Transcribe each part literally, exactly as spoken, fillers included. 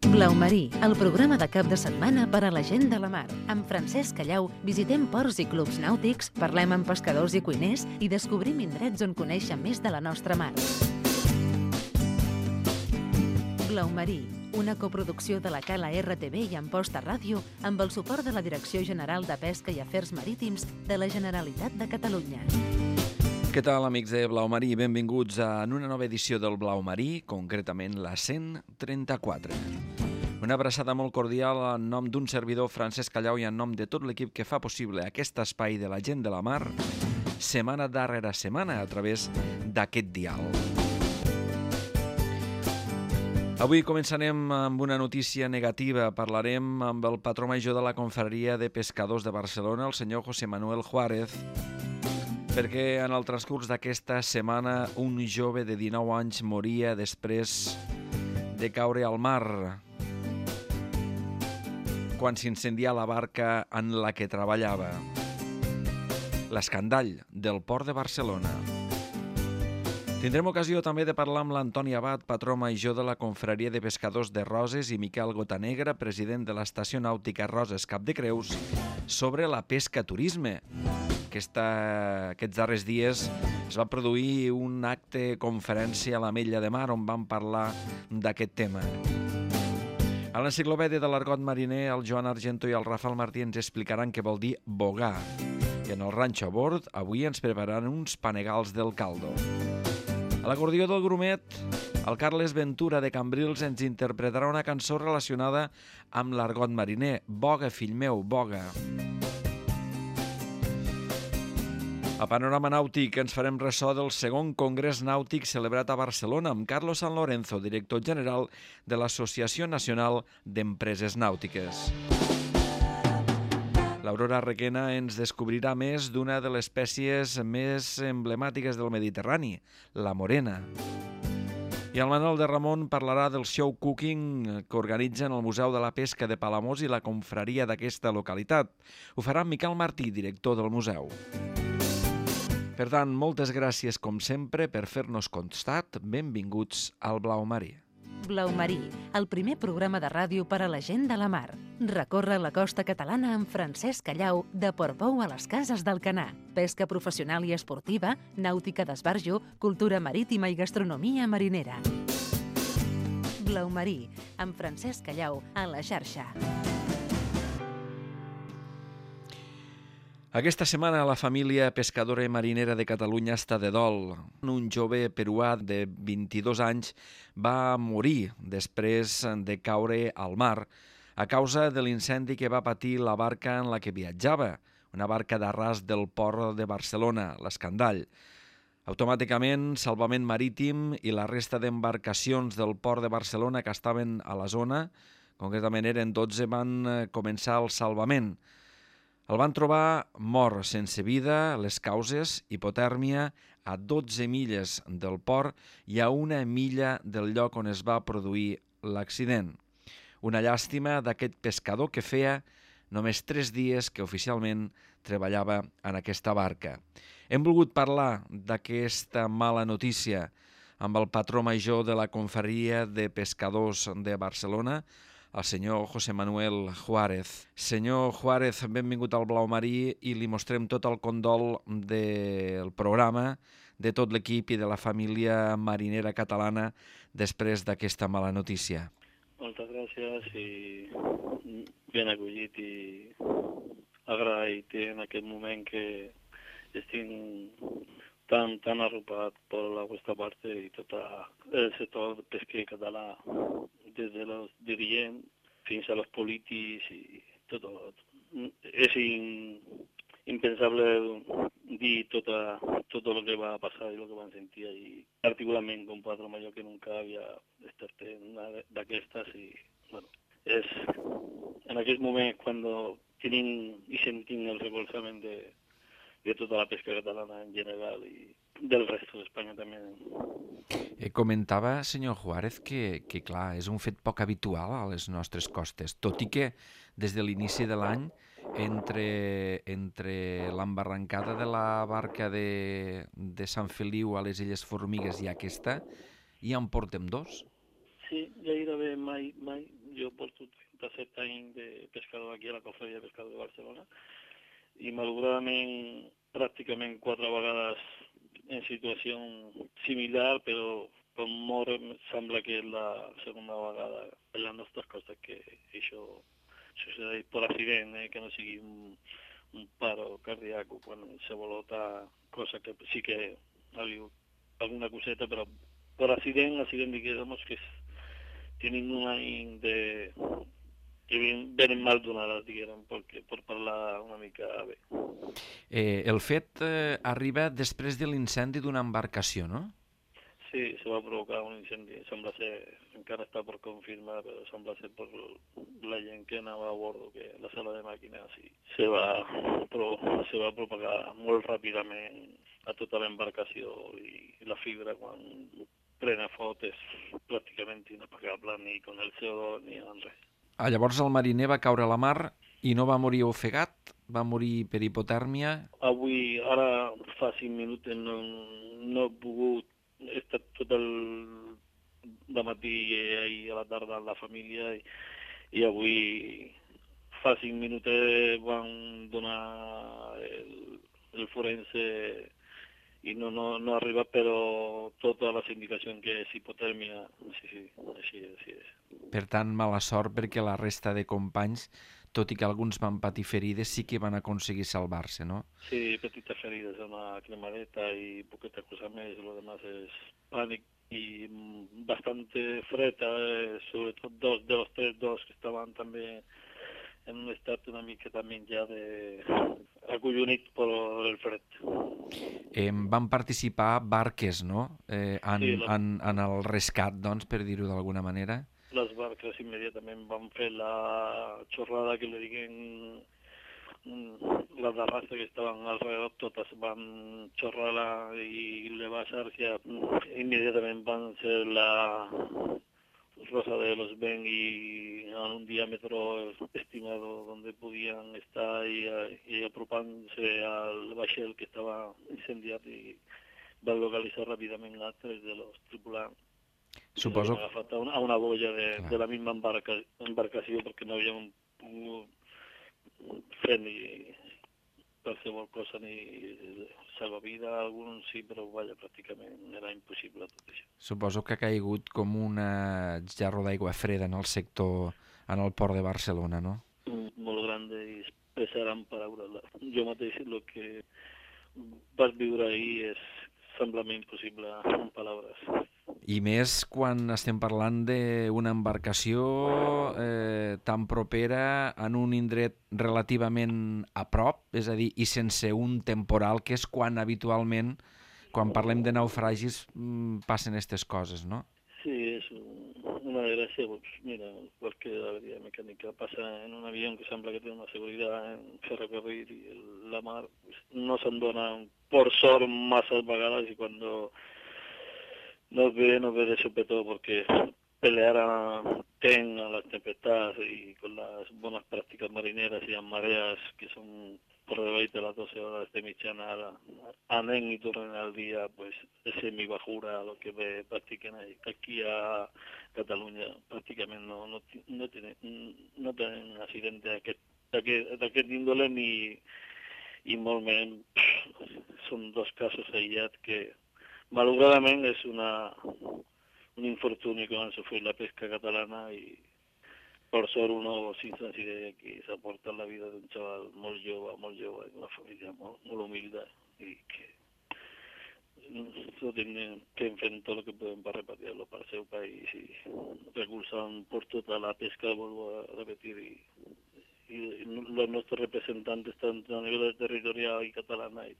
Blau Marí, el programa de cap de setmana per a la gent de la mar. Amb Francesc Callau visitem ports i clubs nàutics, parlem amb pescadors i cuiners i descobrim indrets on conèixer més de la nostra mar. Blau Marí, una coproducció de la Cala R T V i Amposta Ràdio amb el suport de la Direcció General de Pesca i Afers Marítims de la Generalitat de Catalunya. Què tal, amics de Blau Marí? Benvinguts a una nova edició del Blau Marí, concretament la cent trenta-quatre. Una abraçada molt cordial en nom d'un servidor, Francesc Callau, i en nom de tot l'equip que fa possible aquest espai de la gent de la mar, setmana darrere setmana, a través d'aquest dial. Avui començarem amb una notícia negativa. Parlarem amb el patró major de la Confraria de Pescadors de Barcelona, el senyor José Manuel Juárez, perquè en el transcurs d'aquesta setmana un jove de dinou anys moria després de caure al mar quan s'incendia la barca en la que treballava. L'escandall del port de Barcelona. Tindrem ocasió també de parlar amb l'Antoni Abad, patró major de la Confraria de Pescadors de Roses, i Miquel Gotanegra, president de l'Estació Nàutica Roses Cap de Creus, sobre la pesca turisme. Aquesta, aquests darrers dies es va produir un acte conferència a l'Ametlla de Mar on vam parlar d'aquest tema. A l'enciclopèdia de l'argot mariner, el Joan Argento i el Rafael Martí ens explicaran què vol dir bogar. I en el ranxo a bord, avui ens prepararan uns panegals del caldo. A l'acordió del grumet, el Carles Ventura de Cambrils ens interpretarà una cançó relacionada amb l'argot mariner. Boga, fill meu, boga. A Panorama Nàutic ens farem ressò del segon Congrés Nàutic celebrat a Barcelona amb Carlos San Lorenzo, director general de l'Associació Nacional d'Empreses Nàutiques. L'Aurora Requena ens descobrirà més d'una de les espècies més emblemàtiques del Mediterrani, la morena. I el Manuel de Ramon parlarà del show cooking que organitzen el Museu de la Pesca de Palamós i la confraria d'aquesta localitat. Ho farà Miquel Martí, director del museu. Per tant, moltes gràcies, com sempre, per fer-nos costat. Benvinguts al Blau Marí. Blau Marí, el primer programa de ràdio per a la gent de la mar. Recorre la costa catalana amb Francesc Callau, de Portbou a les Cases d'Alcanar. Pesca professional i esportiva, nàutica d'esbarjo, cultura marítima i gastronomia marinera. Blau Marí, amb Francesc Callau, a la xarxa. Aquesta setmana la família pescadora i marinera de Catalunya està de dol. Un jove peruà de vint-i-dos anys va morir després de caure al mar a causa de l'incendi que va patir la barca en la que viatjava, una barca d'arràs del port de Barcelona, l'Escandall. Automàticament, Salvament Marítim i la resta d'embarcacions del port de Barcelona que estaven a la zona, concretament eren dotze, van començar el salvament. El van trobar mort sense vida, les causes, hipotèrmia, a dotze milles del port i a una milla del lloc on es va produir l'accident. Una llàstima d'aquest pescador que feia només tres dies que oficialment treballava en aquesta barca. Hem volgut parlar d'aquesta mala notícia amb el patró major de la Confraria de Pescadors de Barcelona, el senyor José Manuel Juárez. Senyor Juárez, benvingut al Blau Marí i li mostrem tot el condol del programa, de tot l'equip i de la família marinera catalana després d'aquesta mala notícia. Moltes gràcies i ben acollit i agraït en aquest moment que estic tan, tan arropat per la vostra part i tot el sector pesquer català, des de los dirigents fins a los polítics i tot. És in, impensable dir tot, tot el que va passar i el que van sentir i particularment com patró major que nunca havia estat en una d'aquestes i bueno, és en aquest moment quan tenim i sentim el recolzament de, de tota la pesca catalana en general i del resto d'Espanya també. Eh, comentava, senyor Juárez, que, que clar, és un fet poc habitual a les nostres costes, tot i que des de l'inici de l'any, entre, entre l'embarrancada de la barca de, de Sant Feliu a les Illes Formigues i aquesta, ja en portem dos. Sí, gairebé mai, mai, jo porto trenta-set anys de pescador aquí a la Cofreria de Pescador de Barcelona i malauradament pràcticament quatre vegades en situació similar, però com mort sembla que és la segona vegada en les nostres costes que això succeeix per accident, eh, que no sigui un, un paro cardíac o qualsevol altra cosa que sí que ha habido alguna coseta, però per accident, accident digamos que tienen un any de que venen mal donades, diguem, perquè per parlar una mica bé. Eh, el fet eh, arriba després de l'incendi d'una embarcació, no? Sí, se va provocar un incendi, sembla ser, encara està per confirmar, però sembla ser per la gent que anava a bordo, que la sala de màquines sí, se, va, però, se va propagar molt ràpidament a tota l'embarcació i la fibra quan prena foc és pràcticament inapagable ni con el C O dos ni en res. Ah, llavors el mariner va caure a la mar i no va morir ofegat, va morir per hipotèrmia. Avui, ara fa cinc minuts, no, no he pogut, he estat tot el dematí i ahir a la tarda amb la família i, i avui fa cinc minuts van donar el, el forense i no, no, no ha arribat, però totes les indicacions que és hipotèrmia, sí, sí, així és, així és. Per tant, mala sort perquè la resta de companys, tot i que alguns van patir ferides, sí que van aconseguir salvar-se, no? Sí, petites ferides, una cremareta i poqueta cosa més, lo demás és pànic i bastante fred, eh, sobretot dos de los tres, dos que estaven també en un estat una mica també ja de acollonit per el fred. Eh, van participar barques, no?, eh, en, Sí, la... en, en el rescat, doncs, per dir-ho d'alguna manera. Les barques immediatament van fer la xorrada que li diguen les de raza que estaven alrededor, totes van xorrar i levar-se, immediatament van ser la Rosa de los Ben y a un diámetro estimado donde podían estar y, y apropándose al vaixell que estaba incendiat i van localitzar ràpidament a tres de los tripulants. Suposo... Que agafat a una, a una boia de, de la misma embarca, embarcació perquè no havíem pogut fer ni qualsevol cosa ni salvavida, alguns sí, però vaja, pràcticament era impossible tot això. Suposo que ha caigut com una jarro d'aigua freda en el sector, en el port de Barcelona, no? Molt grande i pesaran paraules. Jo mateix el que vas viure ahir és semblament impossible en paraules. I més quan estem parlant d'una embarcació eh, tan propera en un indret relativament a prop, és a dir, i sense un temporal, que és quan habitualment, quan parlem de naufragis, passen aquestes coses, no? Sí, és una desgràcia. Pues mira, cualquier avería mecánica pasa en un avión que sembla que té una seguridad en ferrocarril i la mar pues, no se'n dona, por sort, masses vegades i quan no ve, no ve de sopetó porque pelear a ten a las tempestades y con las buenas prácticas marineras y las mareas que son por debajo de las doce horas de mitjana anen y tornen al día, pues es semibajura lo que ve practiquen aquí a Catalunya pràcticament no, no, no, tenen, no tenen accident d'aquest índole ni i molt menys són dos casos aïllats que malauradament és una, un infortuni que van sofrir la pesca catalana i per sort uno sin sensibilitat aquí s'aporta la vida d'un xaval molt jove, molt jove, d'una família molt, molt humilde i que no tenen que fer tot el que podem per repartir-lo per al seu país i recolzant per tota la pesca, vuelvo a repetir, i, i los nostres representants tant a nivell territorial i catalana i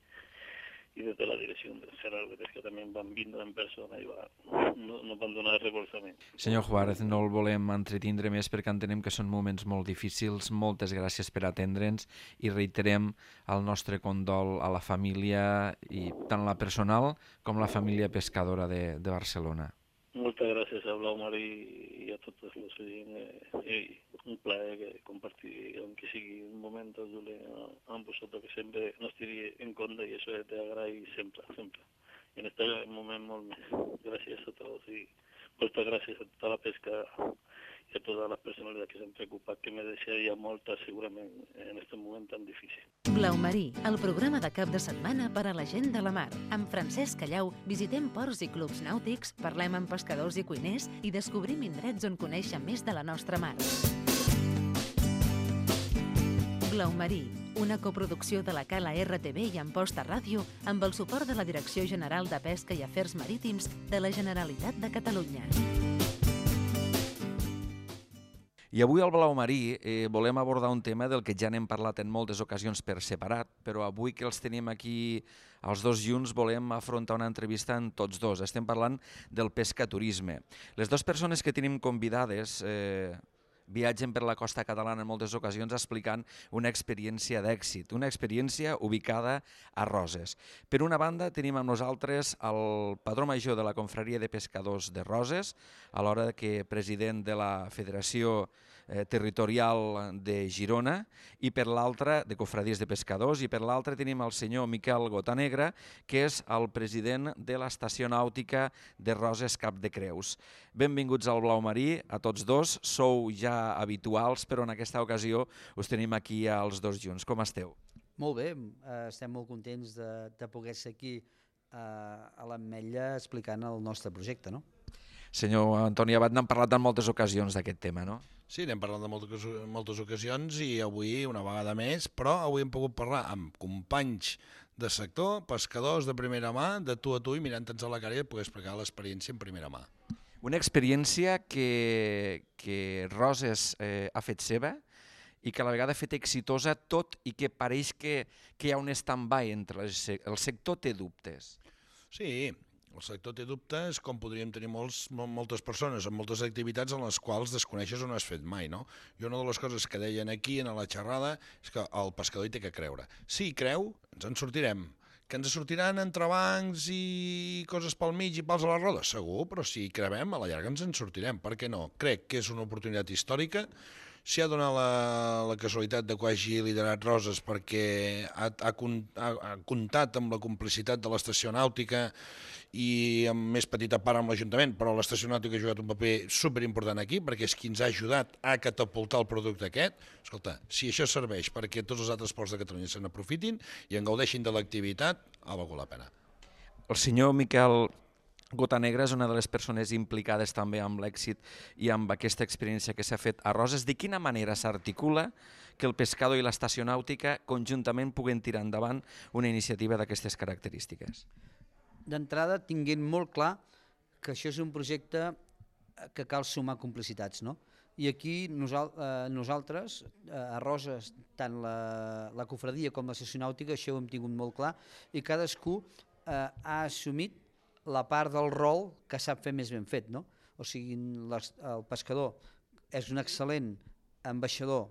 i des de la direcció general de pesca també van vindre en persona i va, no, no van donar recolzament. Senyor Juárez, no el volem entretindre més perquè entenem que són moments molt difícils. Moltes gràcies per atendre'ns i reiterem el nostre condol a la família, i tant la personal com la família pescadora de, de Barcelona. Moltes gràcies a Blaumar i, i a tots els oients. Eh, un plaer que compartir, aunque sigui un moment, Julen, amb vosaltres, que sempre no estigui en compte i això t'agraï sempre, sempre. I en aquest moment molt més. Gràcies a tots i moltes gràcies a tota la pesca a todas las personas que se han preocupado, que me desearía molta segurament en aquest moment tan difícil. Blau Marí, el programa de cap de setmana per a la gent de la mar. Amb Francesc Callau visitem ports i clubs nàutics, parlem amb pescadors i cuiners i descobrim indrets on conèixer més de la nostra mar. Blau Marí, una coproducció de la Cala R T V i Amposta Ràdio amb el suport de la Direcció General de Pesca i Afers Marítims de la Generalitat de Catalunya. I avui al Blau Marí eh, volem abordar un tema del que ja n'hem parlat en moltes ocasions per separat, però avui que els tenim aquí els dos junts volem afrontar una entrevista amb tots dos. Estem parlant del pescaturisme. Les dues persones que tenim convidades eh, viatgen per la costa catalana en moltes ocasions explicant una experiència d'èxit, una experiència ubicada a Roses. Per una banda, tenim amb nosaltres el padró major de la Confraria de Pescadors de Roses, alhora que president de la Federació eh, Territorial de Girona, i per l'altra, de Cofradies de Pescadors, i per l'altra tenim el senyor Miquel Gotanegra, que és el president de l'Estació Nàutica de Roses Cap de Creus. Benvinguts al Blau Marí, a tots dos. Sou ja habituals, però en aquesta ocasió us tenim aquí als dos junts. Com esteu? Molt bé, eh, estem molt contents de, de poder ser aquí eh, a l'Ametlla explicant el nostre projecte, no? Senyor Antoni Abad, n'hem parlat en moltes ocasions d'aquest tema, no? Sí, n'hem parlat de moltes, moltes ocasions i avui una vegada més, però avui hem pogut parlar amb companys de sector, pescadors de primera mà, de tu a tu, i mirant-nos a la cara i poder explicar l'experiència en primera mà. Una experiència que, que Roses eh, ha fet seva i que a la vegada ha fet exitosa, tot i que pareix que, que hi ha un stand-by entre el, el sector té dubtes. Sí, el sector té dubtes, com podríem tenir molts, moltes persones amb moltes activitats en les quals desconeixes o no has fet mai, no? I una de les coses que deien aquí en la xerrada és que el pescador hi té que creure. Si hi creu, ens en sortirem. Que ens sortiran entrebancs i coses pel mig i pals a la roda? Segur, però si hi crevem, a la llarga ens en sortirem. Per què no? Crec que és una oportunitat històrica. S'hi ha donat la, la casualitat de que hagi liderat Roses perquè ha, ha, ha, ha comptat amb la complicitat de l'estació nàutica i amb més petita part amb l'Ajuntament, però l'estació nàutica ha jugat un paper superimportant aquí perquè és qui ens ha ajudat a catapultar el producte aquest. Escolta, si això serveix perquè tots els altres ports de Catalunya se n'aprofitin i en gaudeixin de l'activitat, ha valgut la pena. El senyor Miquel Gotanegra és una de les persones implicades també amb l'èxit i amb aquesta experiència que s'ha fet a Roses. De quina manera s'articula que el pescador i l'estació nàutica conjuntament puguen tirar endavant una iniciativa d'aquestes característiques? D'entrada, tinguent molt clar que això és un projecte que cal sumar complicitats, no? I aquí nosal, eh, nosaltres, eh, a Roses, tant la, la cofradia com l'estació nàutica, això ho hem tingut molt clar, i cadascú eh, ha assumit la part del rol que sap fer més ben fet, no? O sigui, les, el pescador és un excel·lent ambaixador,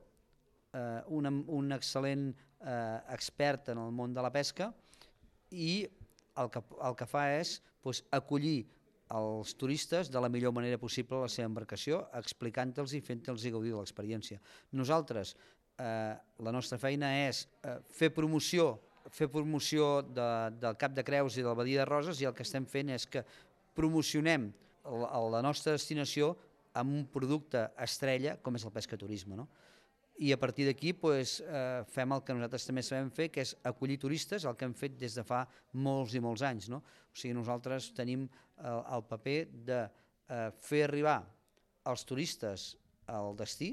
eh, un, un excel·lent eh, expert en el món de la pesca i el que, el que fa és doncs, acollir els turistes de la millor manera possible a la seva embarcació, explicant-los i fent-los gaudir de l'experiència. Nosaltres, eh, la nostra feina és eh, fer promoció fer promoció de, del Cap de Creus i de la Badia de Roses, i el que estem fent és que promocionem la, la nostra destinació amb un producte estrella com és el pescaturisme, no? I a partir d'aquí pues, eh, fem el que nosaltres també sabem fer, que és acollir turistes, el que hem fet des de fa molts i molts anys, no? O sigui, nosaltres tenim el, el paper de eh, fer arribar els turistes al destí,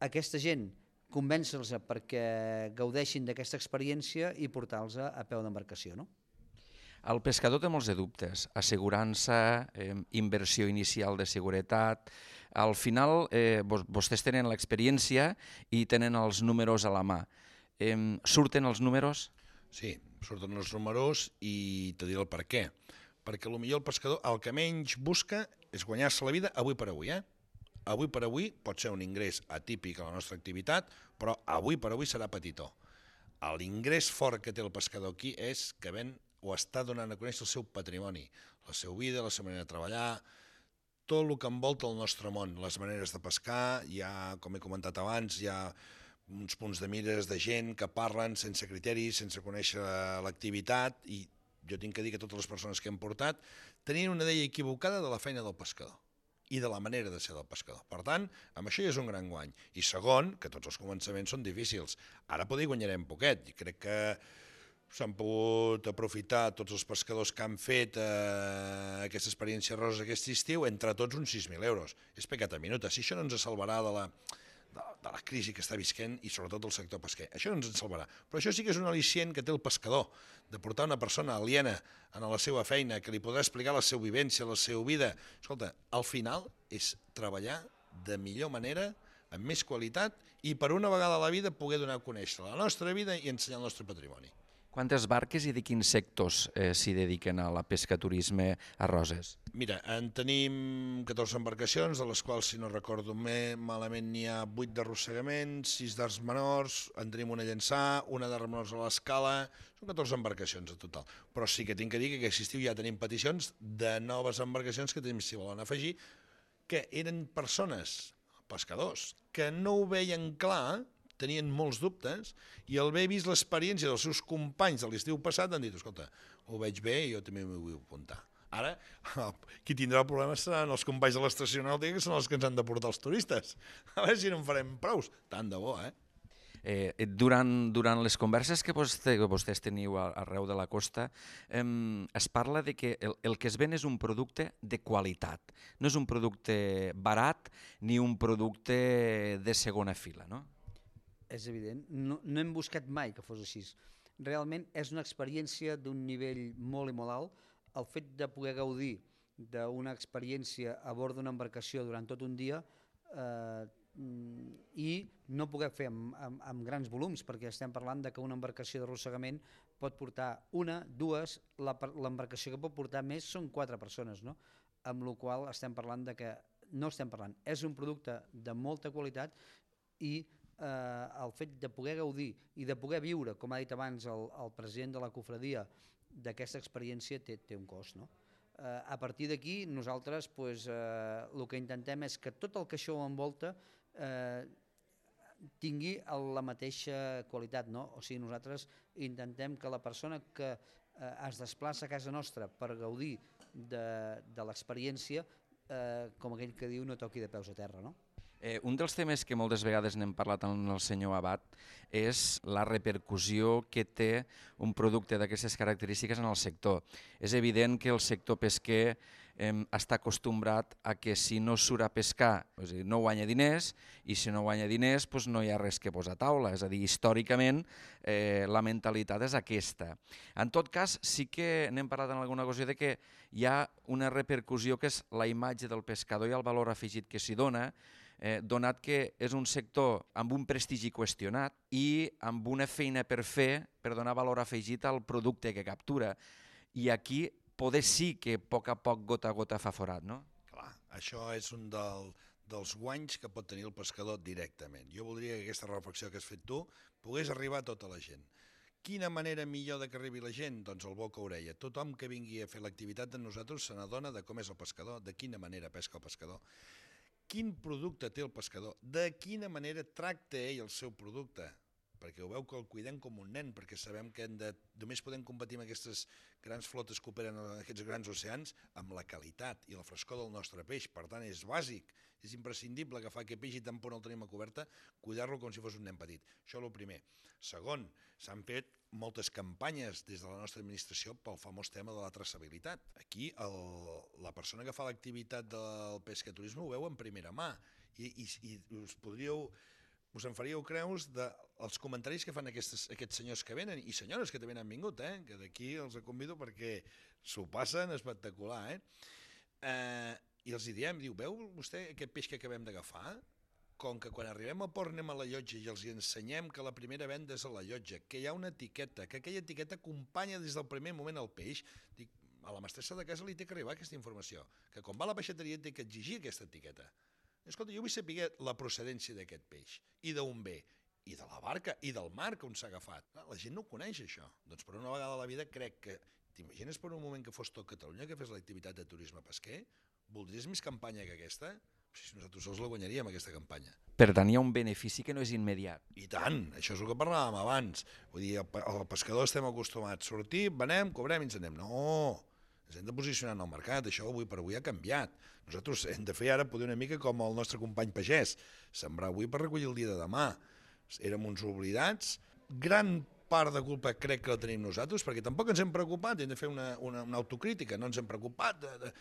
aquesta gent convèncer-los perquè gaudeixin d'aquesta experiència i portar-los a peu d'embarcació, no? El pescador té molts de dubtes, assegurança, eh, inversió inicial de seguretat. Al final, eh, vostès tenen l'experiència i tenen els números a la mà. Eh, surten els números? Sí, surten els números i te diré el per què. Perquè potser el pescador el que menys busca és guanyar-se la vida avui per avui, eh? Avui per avui pot ser un ingrés atípic a la nostra activitat, però avui per avui serà petitó. L'ingrés fort que té el pescador aquí és que ven o està donant a conèixer el seu patrimoni, la seva vida, la seva manera de treballar, tot el que envolta el nostre món, les maneres de pescar. Hi ha, com he comentat abans, hi ha uns punts de mires de gent que parlen sense criteris, sense conèixer l'activitat, i jo tinc que dir que totes les persones que hem portat tenien una idea equivocada de la feina del pescador. i de la manera de ser del pescador. Per tant, amb això ja és un gran guany. I segon, que tots els començaments són difícils. Ara poder guanyarem poquet. I crec que s'han pogut aprofitar tots els pescadors que han fet eh, aquesta experiència rosa aquest estiu, entre tots uns sis mil euros. És pecat a minuta. Si això no ens salvarà de la, de, de la crisi que està visquent i sobretot el sector pesquer. Això no ens en salvarà. Però això sí que és un al·licient que té el pescador, de portar una persona aliena a la seva feina, que li podrà explicar la seva vivència, la seva vida. Escolta, al final és treballar de millor manera, amb més qualitat, i per una vegada a la vida poder donar a conèixer la nostra vida i ensenyar el nostre patrimoni. Quantes barques i de quins sectors eh, s'hi dediquen a la pesca-turisme a Roses? Mira, en tenim catorze embarcacions, de les quals, si no recordo més, malament n'hi ha vuit d'arrossegament, sis d'arts menors, en tenim una llançà, una d'arts menors a l'escala, són catorze embarcacions en total. Però sí que tinc que dir que aquest estiu ja tenim peticions de noves embarcacions que tenim, si volen afegir, que eren persones, pescadors, que no ho veien clar, tenien molts dubtes, i al haver vist l'experiència dels seus companys de l'estiu passat han dit, escolta, ho veig bé i jo també m'ho vull apuntar. Ara, qui tindrà el problema seran els companys de l'estació nàutica, que són els que ens han de portar els turistes. A veure si no en farem prous. Tant de bo, eh? Eh, durant, durant les converses que vostè, que vostès teniu arreu de la costa, eh, es parla de que el, el que es ven és un producte de qualitat. No és un producte barat ni un producte de segona fila, no? És evident, no, no hem buscat mai que fos així. Realment és una experiència d'un nivell molt i molt alt. El fet de poder gaudir d'una experiència a bord d'una embarcació durant tot un dia eh, i no poder fer amb, amb, amb grans volums, perquè estem parlant de que una embarcació d'arrossegament pot portar una, dues, l'embarcació que pot portar més són quatre persones, no? Amb la qual estem parlant de que no estem parlant. És un producte de molta qualitat i Eh, el fet de poder gaudir i de poder viure, com ha dit abans el, el president de la cofradia, d'aquesta experiència té, té un cost, no? Eh, a partir d'aquí nosaltres pues, eh, el que intentem és que tot el que això ho envolta eh, tingui la mateixa qualitat, no? O sigui, nosaltres intentem que la persona que eh, es desplaça a casa nostra per gaudir de, de l'experiència, eh, com aquell que diu, no toqui de peus a terra, no? Eh, un dels temes que moltes vegades n'hem parlat amb el senyor Abad és la repercussió que té un producte d'aquestes característiques en el sector. És evident que el sector pesquer eh, està acostumbrat a que si no surt a pescar o sigui, no guanya diners, i si no guanya diners doncs no hi ha res que posar a taula. És a dir, històricament eh, la mentalitat és aquesta. En tot cas, sí que n'hem parlat en alguna ocasió de que hi ha una repercussió que és la imatge del pescador i el valor afegit que s'hi dona, Eh, donat que és un sector amb un prestigi qüestionat i amb una feina per fer per donar valor afegit al producte que captura. I aquí poder sí que a poc a poc, gota a gota, fa forat, no? Clar, això és un del, dels guanys que pot tenir el pescador directament. Jo voldria que aquesta reflexió que has fet tu pogués arribar a tota la gent. Quina manera millor de que arribi la gent? Doncs el boca orella. Tothom que vingui a fer l'activitat amb nosaltres se n'adona de com és el pescador, de quina manera pesca el pescador. Quin producte té el pescador, de quina manera tracta ell el seu producte, perquè ho veu que el cuidem com un nen, perquè sabem que hem de, només podem competir amb aquestes grans flotes que operen en aquests grans oceans amb la qualitat i la frescor del nostre peix. Per tant, és bàsic, és imprescindible agafar aquest peix i tant por no el tenim a coberta, cuidar-lo com si fos un nen petit. Això és el primer. Segon, s'han fet moltes campanyes des de la nostra administració pel famós tema de la traçabilitat. Aquí el, la persona que fa l'activitat del pescaturisme ho veu en primera mà i, i, i us podríeu, us en faríeu creus dels comentaris que fan aquestes, aquests senyors que venen i senyores que també han vingut, eh? Que d'aquí els convido perquè s'ho passen espectacular. Eh? Eh, I els hi diem, diu, veu vostè aquest peix que acabem d'agafar? Com que quan arribem al port anem a la llotja i els ensenyem que la primera venda és a la llotja, que hi ha una etiqueta, que aquella etiqueta acompanya des del primer moment el peix, dic, a la mestressa de casa li té que arribar aquesta informació, que quan va a la peixateria té que exigir aquesta etiqueta. Escolta, jo vull saber la procedència d'aquest peix, i d'on ve, i de la barca, i del mar on s'ha agafat. La gent no ho coneix, això. Doncs per una vegada a la vida crec que, t'imagines per un moment que fos tot Catalunya que fes l'activitat de turisme pesquer? Voldries més campanya que aquesta? Si nosaltres sols la guanyaríem, aquesta campanya. Per tant, hi ha un benefici que no és immediat. I tant, això és el que parlàvem abans. Vull dir, el pescador estem acostumats a sortir, venem, cobrem i ens anem. No, ens hem de posicionar en el mercat, això avui per avui ha canviat. Nosaltres hem de fer ara poder una mica com el nostre company pagès, sembrar avui per recollir el dia de demà. Érem uns oblidats, gran part de culpa crec que la tenim nosaltres, perquè tampoc ens hem preocupat, hem de fer una, una, una autocrítica, no ens hem preocupat de, de,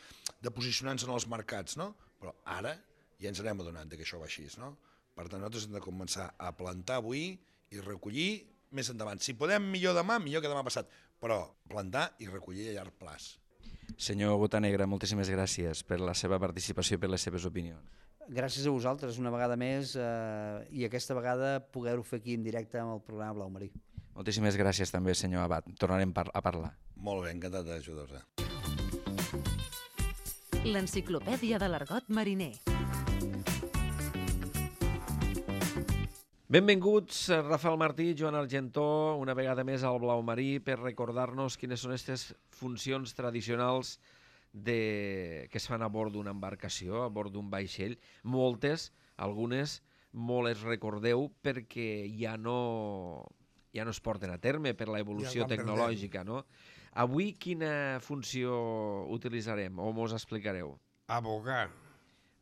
de posicionar-nos en els mercats, no? Però ara ja ens anem adonant que això va així, no? Per tant, nosaltres hem de començar a plantar avui i recollir més endavant. Si podem millor demà, millor que demà passat, però plantar i recollir a llarg plaç. Senyor Botanegra, moltíssimes gràcies per la seva participació i per les seves opinions. Gràcies a vosaltres una vegada més eh, i aquesta vegada poder-ho fer aquí en directe amb el programa Blau Marí. Moltíssimes gràcies també, senyor Abat. Tornarem par a parlar. Molt bé, encantat d'ajudar-vos. L'enciclopèdia de l'argot mariner. Benvinguts, Rafael Martí i Joan Argentó, una vegada més al Blau Marí per recordar-nos quines són aquestes funcions tradicionals de... que es fan a bord d'una embarcació, a bord d'un vaixell. Moltes, algunes, molt es recordeu perquè ja no, ja no es porten a terme per la evolució ja tecnològica, no? Avui quina funció utilitzarem o mos explicareu? Abogar.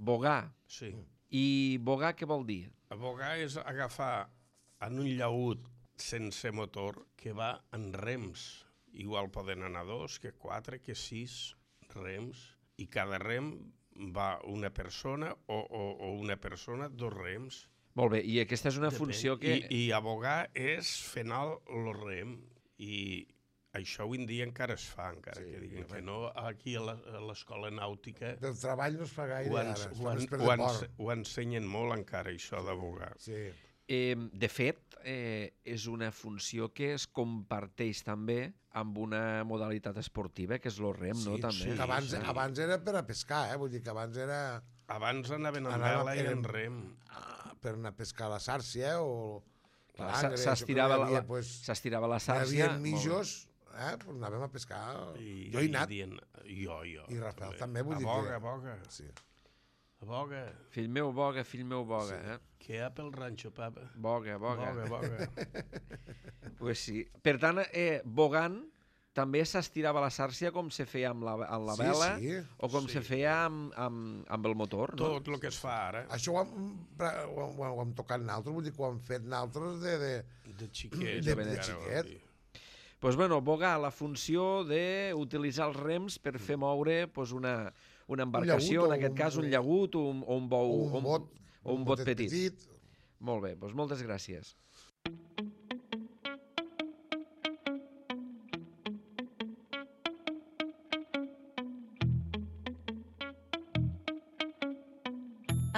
Bogar? Sí. I bogar què vol dir? Abogar és agafar en un llaüt sense motor que va en rems. Igual poden anar dos, que quatre, que sis rems. I cada rem va una persona o, o, o una persona, dos rems. Molt bé, i aquesta és una Depèn. funció que... I, I abogar és fer anar el rem. I això avui en dia encara es fa, encara sí, que diguin que no. Aquí a l'escola nàutica... Del treball no es fa gaire ho, ara, ens, es ho, fa en, més per ho, deport. ens, ho ensenyen molt encara, això d'abogar. Sí. Eh, de fet, eh, és una funció que es comparteix també amb una modalitat esportiva, que és el rem, sí, no? També. Sí, que abans, sí. abans era per a pescar, eh? Vull dir que abans era... Abans anaven en Anava- vela i en eren- rem. ah, per anar a pescar a la sàrcia o... Clar, palangre, s'estirava això que la, hi havia, la, pues, s'estirava la hi sàrcia. havia mijos, eh? Pues anàvem a pescar. I, jo he anat. I dient, jo, jo. I Rafael també, vull dir aboga, que- Aboga, Sí. aboga. Fill meu, boga, fill meu, boga. Sí. Eh? Què hi ha pel ranxo, papa? Boga, boga. Boga, boga. Pues sí. Per tant, eh, bogant també s'estirava la sàrcia com se feia amb la, amb la Sí, vela sí. o com Sí. se feia amb, amb, amb el motor, no? Tot el que es fa ara, Això ho hem, ho, hem, ho hem tocat naltros, vull dir que ho hem fet naltros de... de... de xiquet. De- encara de vol xiquet. dir. Pues bueno, bogar, la funció d'utilitzar els rems per fer moure pues, una, una embarcació, llaüt o en aquest un- cas un llagut o un, o un bou, o un bot, o un bot botet petit. petit. Molt bé, doncs moltes gràcies.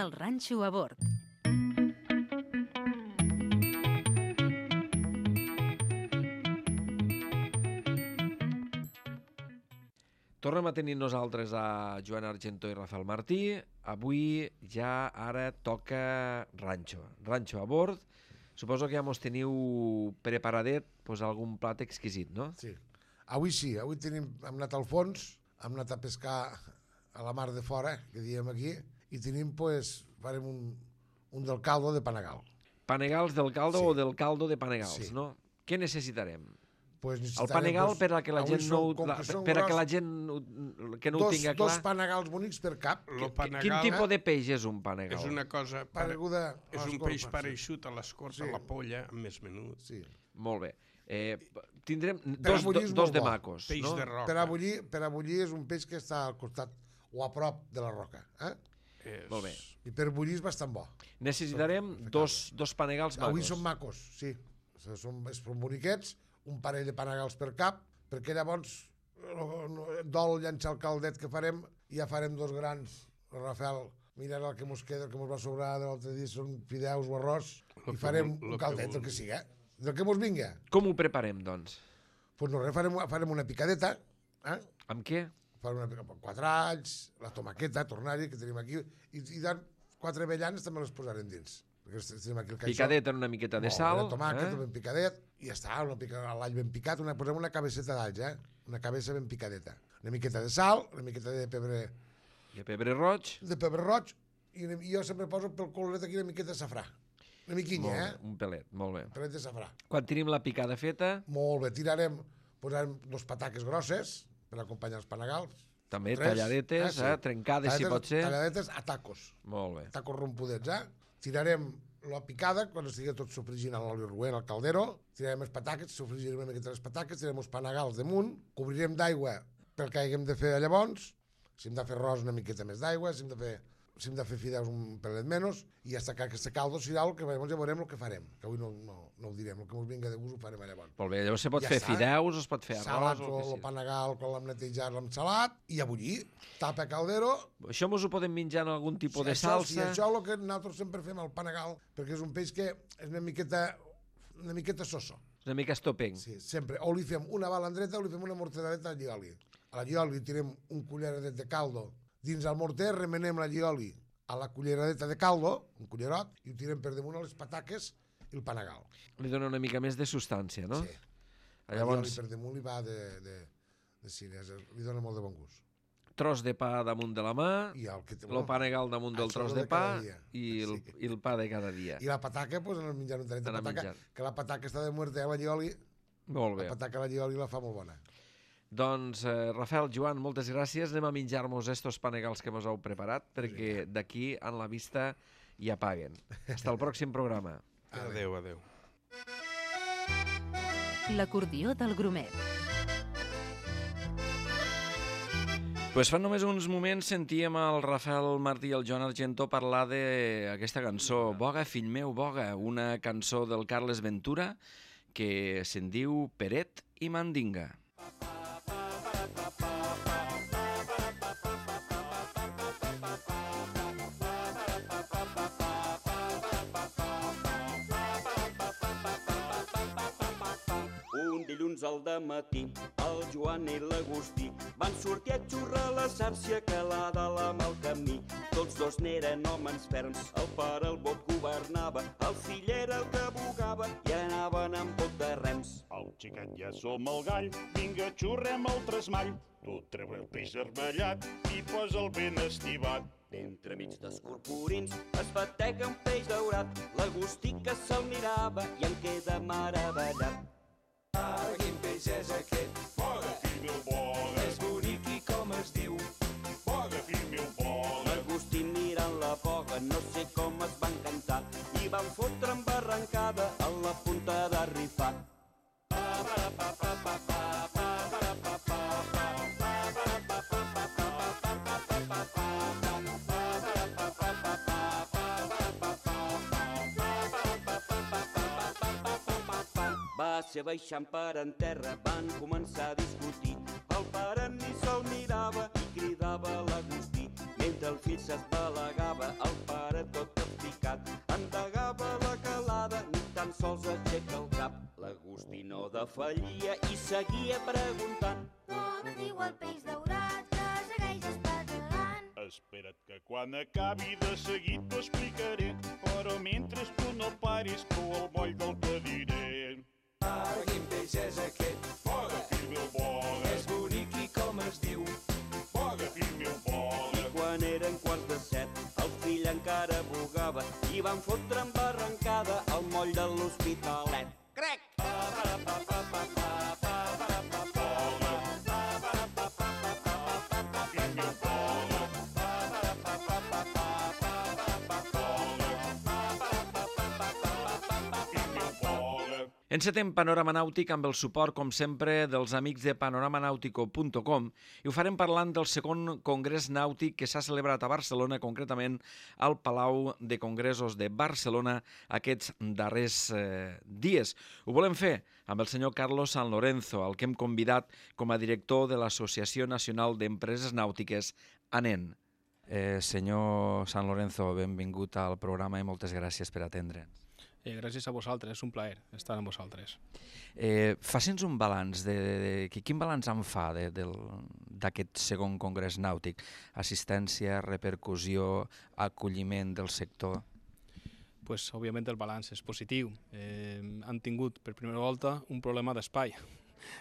El ranxo a bord. Tornem a tenir nosaltres a Joan Argentó i Rafael Martí. Avui ja ara toca ranxo. Ranxo a bord. Suposo que ja mos teniu preparadet pues, algun plat exquisit, no? Sí. Avui sí, avui tenim, hem anat al fons, hem anat a pescar a la mar de fora, que diem aquí, i tenim, pues, farem un, un del caldo de panegal. Panegals del caldo Sí. o del caldo de panegals, Sí. no? Què necessitarem? Pues El necessitarem, panegal pues, per a que la avui gent no, són- ho- com la, que són per a que gros, la gent ho- que no ho dos, tinga dos clar. panegals bonics per cap, Lo Quin panegal tipus de peix és un panegal? és una cosa... pare- pareguda a És un l'escorpa, peix sí. pareixut a l'escorça, Sí. a la polla, amb més menut. Sí. Molt bé. Eh, tindrem Per dos, bullir do, és dos molt de bo. macos, Peix no? de roca. Per a bullir, per a bullir és un peix que està al costat o a prop de la roca. Eh? És... Molt bé. I per bullir és bastant bo. Necessitarem dos, dos panegals macos. Avui són macos, sí. Són, són boniquets, un parell de panegals per cap, perquè llavors no, no, dol llançar el caldet que farem i ja farem dos grans. Rafael, mira el que mos queda, el que mos va sobrar de l'altre dia són fideus o arròs Lo i que farem vol- lo un que caldet, vol. el que sigui, eh? Del que mos vinga. Com ho preparem, doncs? Doncs pues no res, farem, farem una picadeta, eh? Amb què? Farem una picadeta, quatre alls, la tomaqueta, tornari, que tenim aquí, i, i dan quatre avellanes també les posarem dins. Perquè tenim aquí el caixó. Picadet en una miqueta de Molt sal. bé, tomàquet, eh? ben picadet, i ja està, una pica, l'all ben picat, una, posem una cabeceta d'alls, eh? Una cabeza ben picadeta. Una miqueta de sal, una miqueta de pebre, I pebre roig. de pebre roig, i, una, i jo sempre poso pel coloret aquí una miqueta de safrà. Una miquinya, Molt bé, eh? un pelet, molt bé. Un pelet de safrà. Quan tenim la picada feta, Molt bé, tirarem, posarem dos pataques grosses, per acompanyar els panagals. També Tres, talladetes, eh, sí. eh, trencades si pot ser. Talladetes a tacos. Molt bé. Tacos rompudets, eh? Tirarem la picada, quan estigui tot sofregint a l'oli roent al caldero, tirarem els pataques, sofregirem una miqueta les pataques, tirarem els panagals damunt, cobrirem d'aigua pel que haguem de fer llavors, si hem de fer arròs una miqueta més d'aigua, si hem de fer si hem de fer fideus un pelet menys, i hasta que aquest caldo serà el que llavors ja veurem el que farem, que avui no, no, no ho direm, el que ens vinga de gust ho farem llavors. Molt bé, llavors se pot Ja fer està. fideus, es pot fer arròs... Salat, o el panagal, quan l'hem netejat, l'hem salat, i a bullir, tapa caldero. Això mos ho podem menjar en algun tipus de això, salsa? Sí, això és el que nosaltres sempre fem al panagal, perquè és un peix que és una miqueta, una miqueta soso. Una mica estopenc. Sí, sempre. O li fem una balandreta o li fem una mortadeta al llioli. A la llioli tirem un culleradet de caldo dins el morter, remenem la llioli a la culleradeta de caldo, un cullerot, i ho tirem per damunt a les pataques i el panagal. Li dona una mica més de substància, no? Sí. Llavors, La llioli per damunt li va de, de, de cines, li dona molt de bon gust. tros de pa damunt de la mà, I el, que, el panegal damunt del això tros de de pa cada dia. i el, Sí. i el pa de cada dia. I la pataca, pues, en el menjar un talet de En el pataca, menjar. que la pataca està de muerte a la llioli, Molt bé. la pataca a la llioli la fa molt bona. Doncs, eh, Rafael, Joan, moltes gràcies. Anem a menjar-nos estos panegals que mos heu preparat, perquè d'aquí en la vista ja paguen. Hasta el pròxim programa. Adéu, adéu. L'acordió del Grumet. Pues fa només uns moments sentíem el Rafael Martí i el Joan Argentó parlar d'aquesta cançó, Boga, fill meu, boga, una cançó del Carles Ventura que se'n diu Peret i Mandinga. Un dilluns al dematí, el Joan i l'Agustí van sortir a xurrar la sàrcia calada a la mal camí. Tots dos n'eren homes ferms, el pare el bot governava, el fill era el que bugava i anaven amb bot de rems. El xiquet ja som el gall, vinga, xurrem el tresmall. Tu treu el peix armellat i posa el ben estivat. D'entremig d'escorporins es batega un peix daurat. L'Agustí que se'l mirava i en queda meravellat. Ara, quin peix és aquest? Boga, fill meu, boga, És bonic i com es diu? boga, fill meu, boga. L'Agustí mirant la boga, no sé com es va encantar, i van fotre amb arrencada a la punta de rifar. Va ser baixant per en terra, van començar a discutir. El pare ni se'l mirava i cridava a l'Agustí. Mentre el fill s'esbalegava, el pare tot capficat endegava la calada, ni tan sols aixeca el cap. L'Agustí no defallia i seguia preguntant. Com diu el peix daurat que segueix espatagant? Espera't que quan acabi de seguit t'ho explicaré, però mentre tu no paris, prou el moll del que diré. Ara, quin peix és aquest? Boga, fill meu, boga, És bonic i com es diu? boga, fill meu, boga. I quan eren quarts de set, el fill encara bugava i van fotre amb arrencada el moll de l'Hospitalet. Crec! Encetem Panorama Nàutic amb el suport, com sempre, dels amics de panoramanautico punt com i ho farem parlant del segon Congrés Nàutic que s'ha celebrat a Barcelona, concretament al Palau de Congressos de Barcelona aquests darrers eh, dies. Ho volem fer amb el senyor Carlos San Lorenzo, el que hem convidat com a director de l'Associació Nacional d'Empreses Nàutiques, ANEN. Eh, senyor San Lorenzo, benvingut al programa i moltes gràcies per atendre'ns. Eh, gràcies a vosaltres, és un plaer estar amb vosaltres. Eh, Faci'ns un balanç, de, de, de, quin balanç en fa d'aquest segon congrés nàutic? Assistència, repercussió, acolliment del sector? Pues, òbviament el balanç és positiu. Eh, han tingut per primera volta un problema d'espai.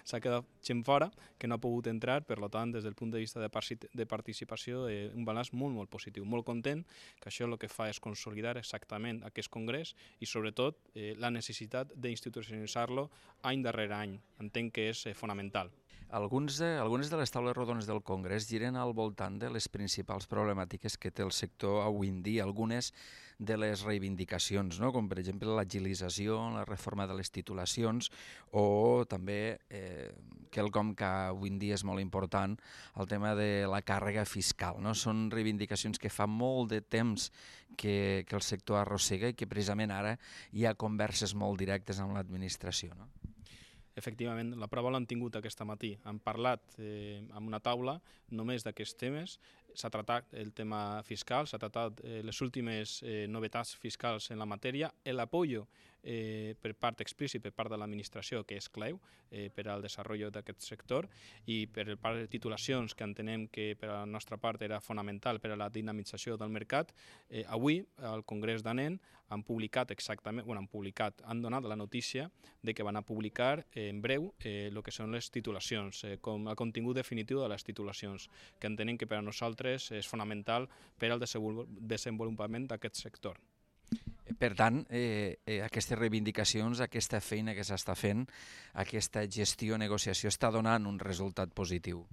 S'ha quedat gent fora que no ha pogut entrar, per tant, des del punt de vista de, de participació, eh, un balanç molt, molt positiu. Molt content, que això el que fa és consolidar exactament aquest congrés i, sobretot, eh, la necessitat d'institucionalitzar-lo any darrere any. Entenc que és eh, fonamental. Alguns de, algunes de les taules rodones del Congrés giren al voltant de les principals problemàtiques que té el sector avui en dia, algunes de les reivindicacions, no? Com per exemple l'agilització, la reforma de les titulacions o també, eh, quelcom que avui en dia és molt important, el tema de la càrrega fiscal. No? Són reivindicacions que fa molt de temps que, que el sector arrossega i que precisament ara hi ha converses molt directes amb l'administració. No? Efectivament, la prova l'han tingut aquest matí. Han parlat eh, amb una taula només d'aquests temes. S'ha tratat el tema fiscal, s'ha tratat eh, les últimes eh, novetats fiscals en la matèria, l'apoyo eh, per part explícit per part de l'administració, que és clau eh, per al desenvolupament d'aquest sector, i per part de titulacions, que entenem que per a la nostra part era fonamental per a la dinamització del mercat. Eh, avui, al Congrés d'Anen, han publicat exactament, bueno, han publicat, han donat la notícia de que van a publicar eh, en breu el eh, que són les titulacions, eh, com el contingut definitiu de les titulacions, que entenem que per a nosaltres és fonamental per al desenvolupament d'aquest sector. Per tant, eh, eh, aquestes reivindicacions, aquesta feina que s'està fent, aquesta gestió, negociació, està donant un resultat positiu.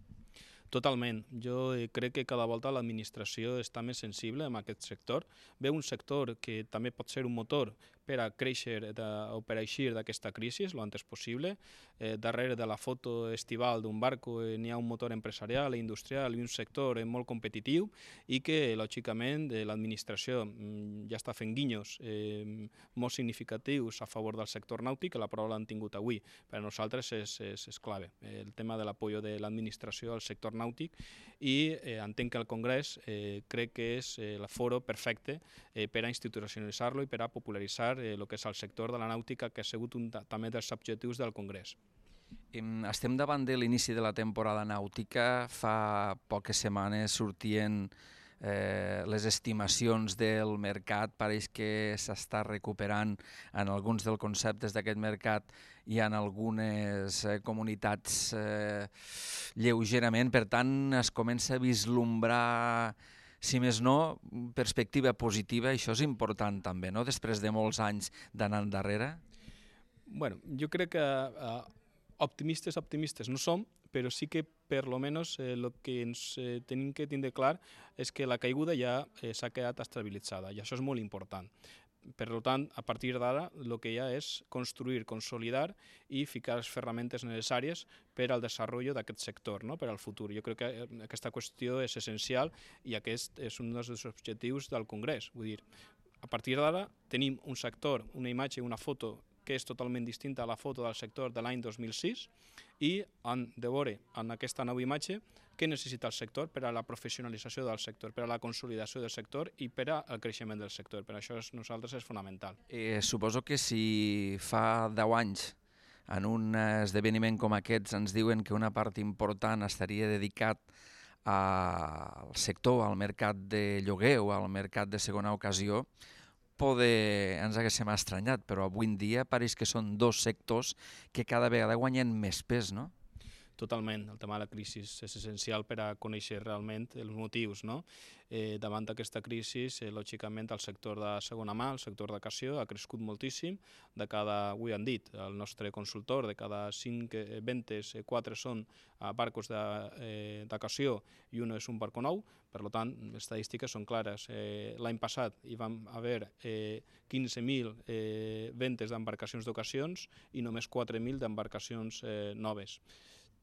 Totalment. Jo crec que cada volta l'administració està més sensible en aquest sector. Ve un sector que també pot ser un motor per a créixer de, o per a eixir d'aquesta crisi el antes possible. Eh, darrere de la foto estival d'un barco eh, n'hi ha un motor empresarial i industrial i un sector eh, molt competitiu i que, lògicament, eh, l'administració mm, ja està fent guinyos eh, molt significatius a favor del sector nàutic, que la prova l'han tingut avui. Per a nosaltres és, és, és clave eh, el tema de l'apoyo de l'administració al sector nàutic i eh, entenc que el Congrés eh, crec que és eh, el foro perfecte eh, per a institucionalitzar-lo i per a popularitzar el que és el sector de la nàutica, que ha sigut un també dels objectius del Congrés. Estem davant de l'inici de la temporada nàutica. Fa poques setmanes sortien eh, les estimacions del mercat. Pareix que s'està recuperant en alguns dels conceptes d'aquest mercat i en algunes eh, comunitats eh, lleugerament. Per tant, es comença a vislumbrar, si més no, perspectiva positiva. Això és important també, no?, després de molts anys d'anar endarrere. Bueno, jo crec que uh, optimistes, optimistes no som, però sí que per lo menos el eh, que ens eh, tenim que tindre clar és que la caiguda ja eh, s'ha quedat estabilitzada i això és molt important. Per tant, a partir d'ara, el que hi ha és construir, consolidar i ficar les ferramentes necessàries per al desenvolupament d'aquest sector, no?, per al futur. Jo crec que aquesta qüestió és essencial i aquest és un dels objectius del Congrés. Vull dir, a partir d'ara tenim un sector, una imatge, una foto que és totalment distinta a la foto del sector de l'any dos mil sis i han de veure en aquesta nova imatge què necessita el sector per a la professionalització del sector, per a la consolidació del sector i per al creixement del sector. Per això és, nosaltres és fonamental. Eh, suposo que si fa deu anys en un esdeveniment com aquests ens diuen que una part important estaria dedicat al sector, al mercat de lloguer o al mercat de segona ocasió, poder ens haguéssim estranyat, però avui en dia pareix que són dos sectors que cada vegada guanyen més pes, no? Totalment. El tema de la crisi és essencial per a conèixer realment els motius, no? Eh, davant d'aquesta crisi, eh, lògicament, el sector de segona mà, el sector d'ocasió, ha crescut moltíssim. De cada, avui han dit, el nostre consultor, de cada cinc eh, ventes, eh, quatre són eh, barcos d'ocasió eh, i un és un barco nou. Per tant, les estadístiques són clares. Eh, L'any passat hi vam haver eh, quinze mil eh, ventes d'embarcacions d'ocasions i només quatre mil d'embarcacions eh, noves.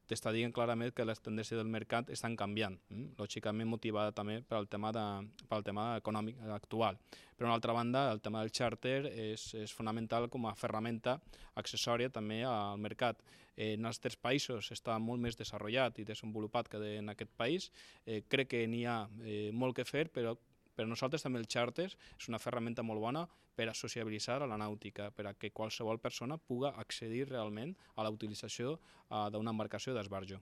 T'està dient clarament que les tendències del mercat estan canviant, eh? lògicament motivada també pel tema, de, pel tema econòmic actual. Per una altra banda, el tema del xàrter és, és fonamental com a ferramenta accessòria també al mercat. Eh, en els tres països està molt més desenvolupat i desenvolupat que en aquest país. Eh, crec que n'hi ha eh, molt que fer, però per a nosaltres també el xàrter és una ferramenta molt bona per a sociabilitzar a la nàutica, per a que qualsevol persona pugui accedir realment a la utilització uh, d'una embarcació d'esbarjo.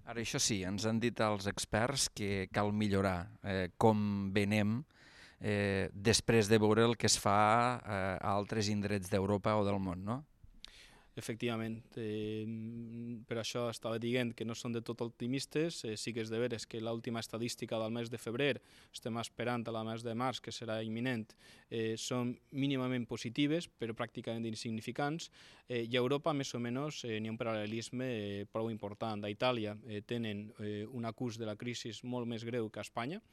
Ara, això sí, ens han dit els experts que cal millorar eh, com venem eh, després de veure el que es fa eh, a altres indrets d'Europa o del món, no? Efectivament, eh, per això estava dient que no són de tot optimistes, eh, sí que és de veres que l'última estadística del mes de febrer, estem esperant a la mes de març, que serà imminent, eh, són mínimament positives, però pràcticament insignificants, eh, i a Europa més o menys eh, n'hi ha un paral·lelisme eh, prou important. A Itàlia eh, tenen eh, un acús de la crisi molt més greu que a Espanya,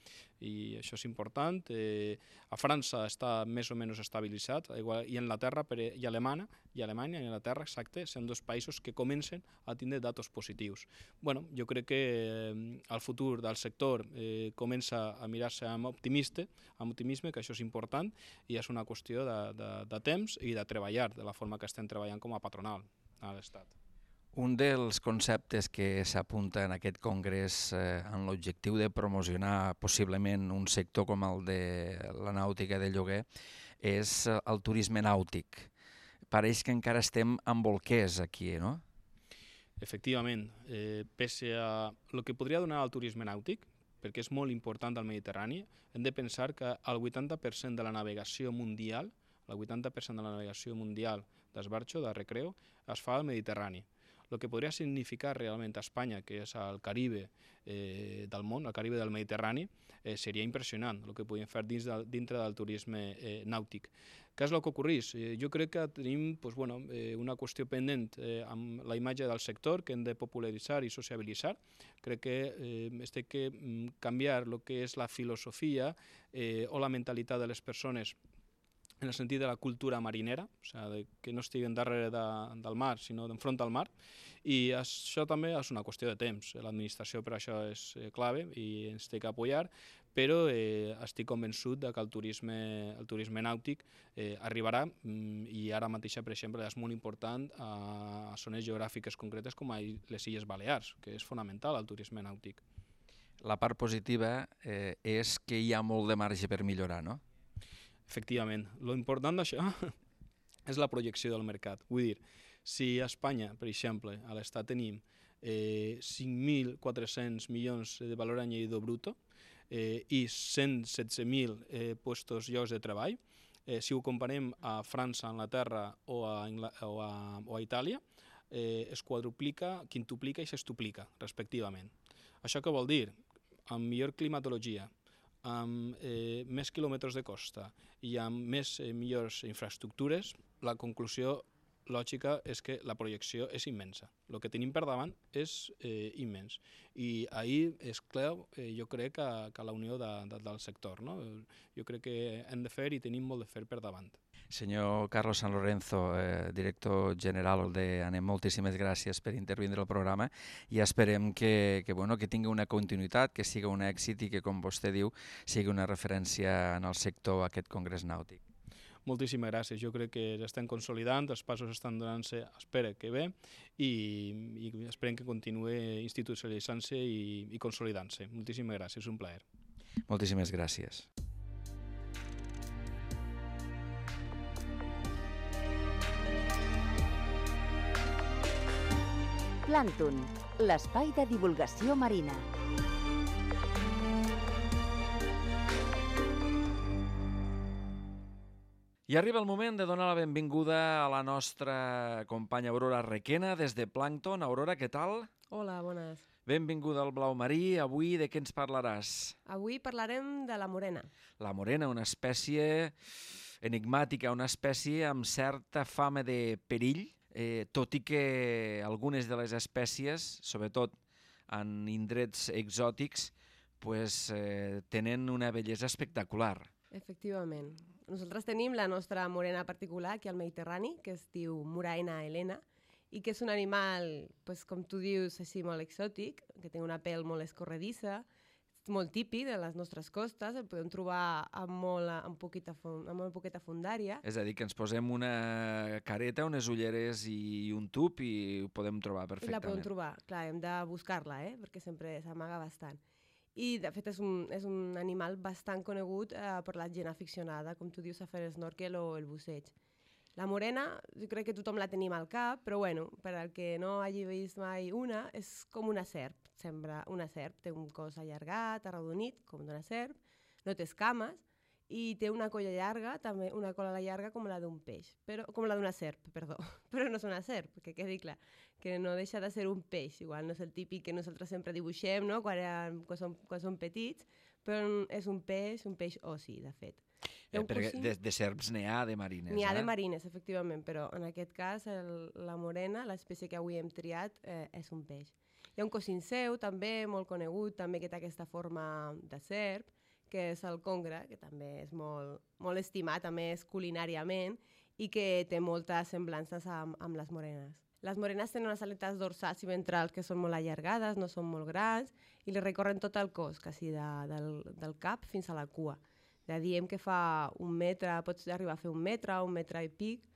i això és important. Eh, a França està més o menys estabilitzat, igual, i Anglaterra per, i Alemanya, i Alemanya i Anglaterra, exacte, són dos països que comencen a tindre datos positius. Bueno, jo crec que eh, el futur del sector eh, comença a mirar-se amb optimista, amb optimisme, que això és important, i és una qüestió de, de, de temps i de treballar de la forma que estem treballant com a patronal a l'Estat. Un dels conceptes que s'apunta en aquest congrés eh, en l'objectiu de promocionar possiblement un sector com el de la nàutica de lloguer és el turisme nàutic. Pareix que encara estem amb bolquers aquí, no? Efectivament, eh, pese a el que podria donar el turisme nàutic, perquè és molt important al Mediterrani, hem de pensar que el vuitanta per cent de la navegació mundial, el vuitanta per cent de la navegació mundial d'esbarjo, de recreo, es fa al Mediterrani. El que podria significar realment a Espanya, que és el Caribe eh, del món, el Caribe del Mediterrani, eh, seria impressionant el que podríem fer dins de, dintre del turisme eh, nàutic. Què és el que ocorreix? Eh, jo crec que tenim pues, bueno, eh, una qüestió pendent eh, amb la imatge del sector que hem de popularitzar i sociabilitzar. Crec que eh, es té que canviar el que és la filosofia eh, o la mentalitat de les persones en el sentit de la cultura marinera, o sigui, que no estiguen darrere de, del mar, sinó d'enfront al mar, i això també és una qüestió de temps. L'administració per això és clave i ens té que apoyar, però eh, estic convençut de que el turisme, el turisme nàutic eh, arribarà, i ara mateix, per exemple, és molt important a, a zones geogràfiques concretes com a les Illes Balears, que és fonamental el turisme nàutic. La part positiva eh, és que hi ha molt de marge per millorar, no? Efectivament. Lo important d'això és la projecció del mercat. Vull dir, si a Espanya, per exemple, a l'Estat tenim eh, cinc mil quatre-cents milions de valor añadido bruto eh, i cent setze mil eh, puestos llocs de treball, eh, si ho comparem a França, Anglaterra o a, o a, o a Itàlia, eh, es quadruplica, quintuplica i sextuplica, respectivament. Això què vol dir? Amb millor climatologia, amb eh, més quilòmetres de costa i amb més eh, millors infraestructures, la conclusió lògica és que la projecció és immensa. El que tenim per davant és eh, immens. I ahir és clau, eh, jo crec, que, que la unió de, de, del sector. No? Jo crec que hem de fer i tenim molt de fer per davant. Senyor Carlos San Lorenzo, eh, director general de ANEM, moltíssimes gràcies per intervindre al programa i esperem que, que, bueno, que tingui una continuïtat, que siga un èxit i que, com vostè diu, sigui una referència en el sector aquest congrés nàutic. Moltíssimes gràcies. Jo crec que estem consolidant, els passos estan donant-se, espero que bé, i, i esperem que continuï institucionalitzant-se i, i consolidant-se. Moltíssimes gràcies, és un plaer. Moltíssimes gràcies. Plàncton, l'espai de divulgació marina. I arriba el moment de donar la benvinguda a la nostra companya Aurora Requena des de Plàncton. Aurora, què tal? Hola, bones. Benvinguda al Blau Marí. Avui de què ens parlaràs? Avui parlarem de la morena. La morena, una espècie enigmàtica, una espècie amb certa fama de perill, eh, tot i que algunes de les espècies, sobretot en indrets exòtics, pues, eh, tenen una bellesa espectacular. Efectivament. Nosaltres tenim la nostra morena particular aquí al Mediterrani, que es diu Muraena helena, i que és un animal, pues, com tu dius, així molt exòtic, que té una pell molt escorredissa, molt típic de les nostres costes, el podem trobar amb molt, amb poqueta, amb molt poqueta fondària. És a dir, que ens posem una careta, unes ulleres i un tub i ho podem trobar perfectament. I la podem trobar, clar, hem de buscar-la, eh? Perquè sempre s'amaga bastant. I, de fet, és un, és un animal bastant conegut eh, per la gent aficionada, com tu dius, a fer el snorkel o el busseig. La morena, jo crec que tothom la tenim al cap, però bueno, per al que no hagi vist mai una, és com una serp, sembla una serp, té un cos allargat, arrodonit, com d'una serp, no té escames, i té una colla llarga, també una cola llarga com la d'un peix, però, com la d'una serp, perdó, però no és una serp, que quedi clar, que no deixa de ser un peix, igual no és el típic que nosaltres sempre dibuixem, no?, quan, eren, quan, som, quan som petits, però és un peix, un peix ossi, de fet. Eh, perquè de, de serps n'hi ha de marines, N'hi ha eh? de marines, efectivament, però en aquest cas el, la morena, l'espècie que avui hem triat, eh, és un peix. Hi ha un cosín seu, també, molt conegut, també que té aquesta forma de serp, que és el congre, que també és molt, molt estimat, a més culinàriament, i que té moltes semblances amb, amb les morenes. Les morenes tenen unes aletes dorsals i ventrals que són molt allargades, no són molt grans, i li recorren tot el cos, quasi de, del, del cap fins a la cua. Ja diem que fa un metre, pots arribar a fer un metre, un metre i pic,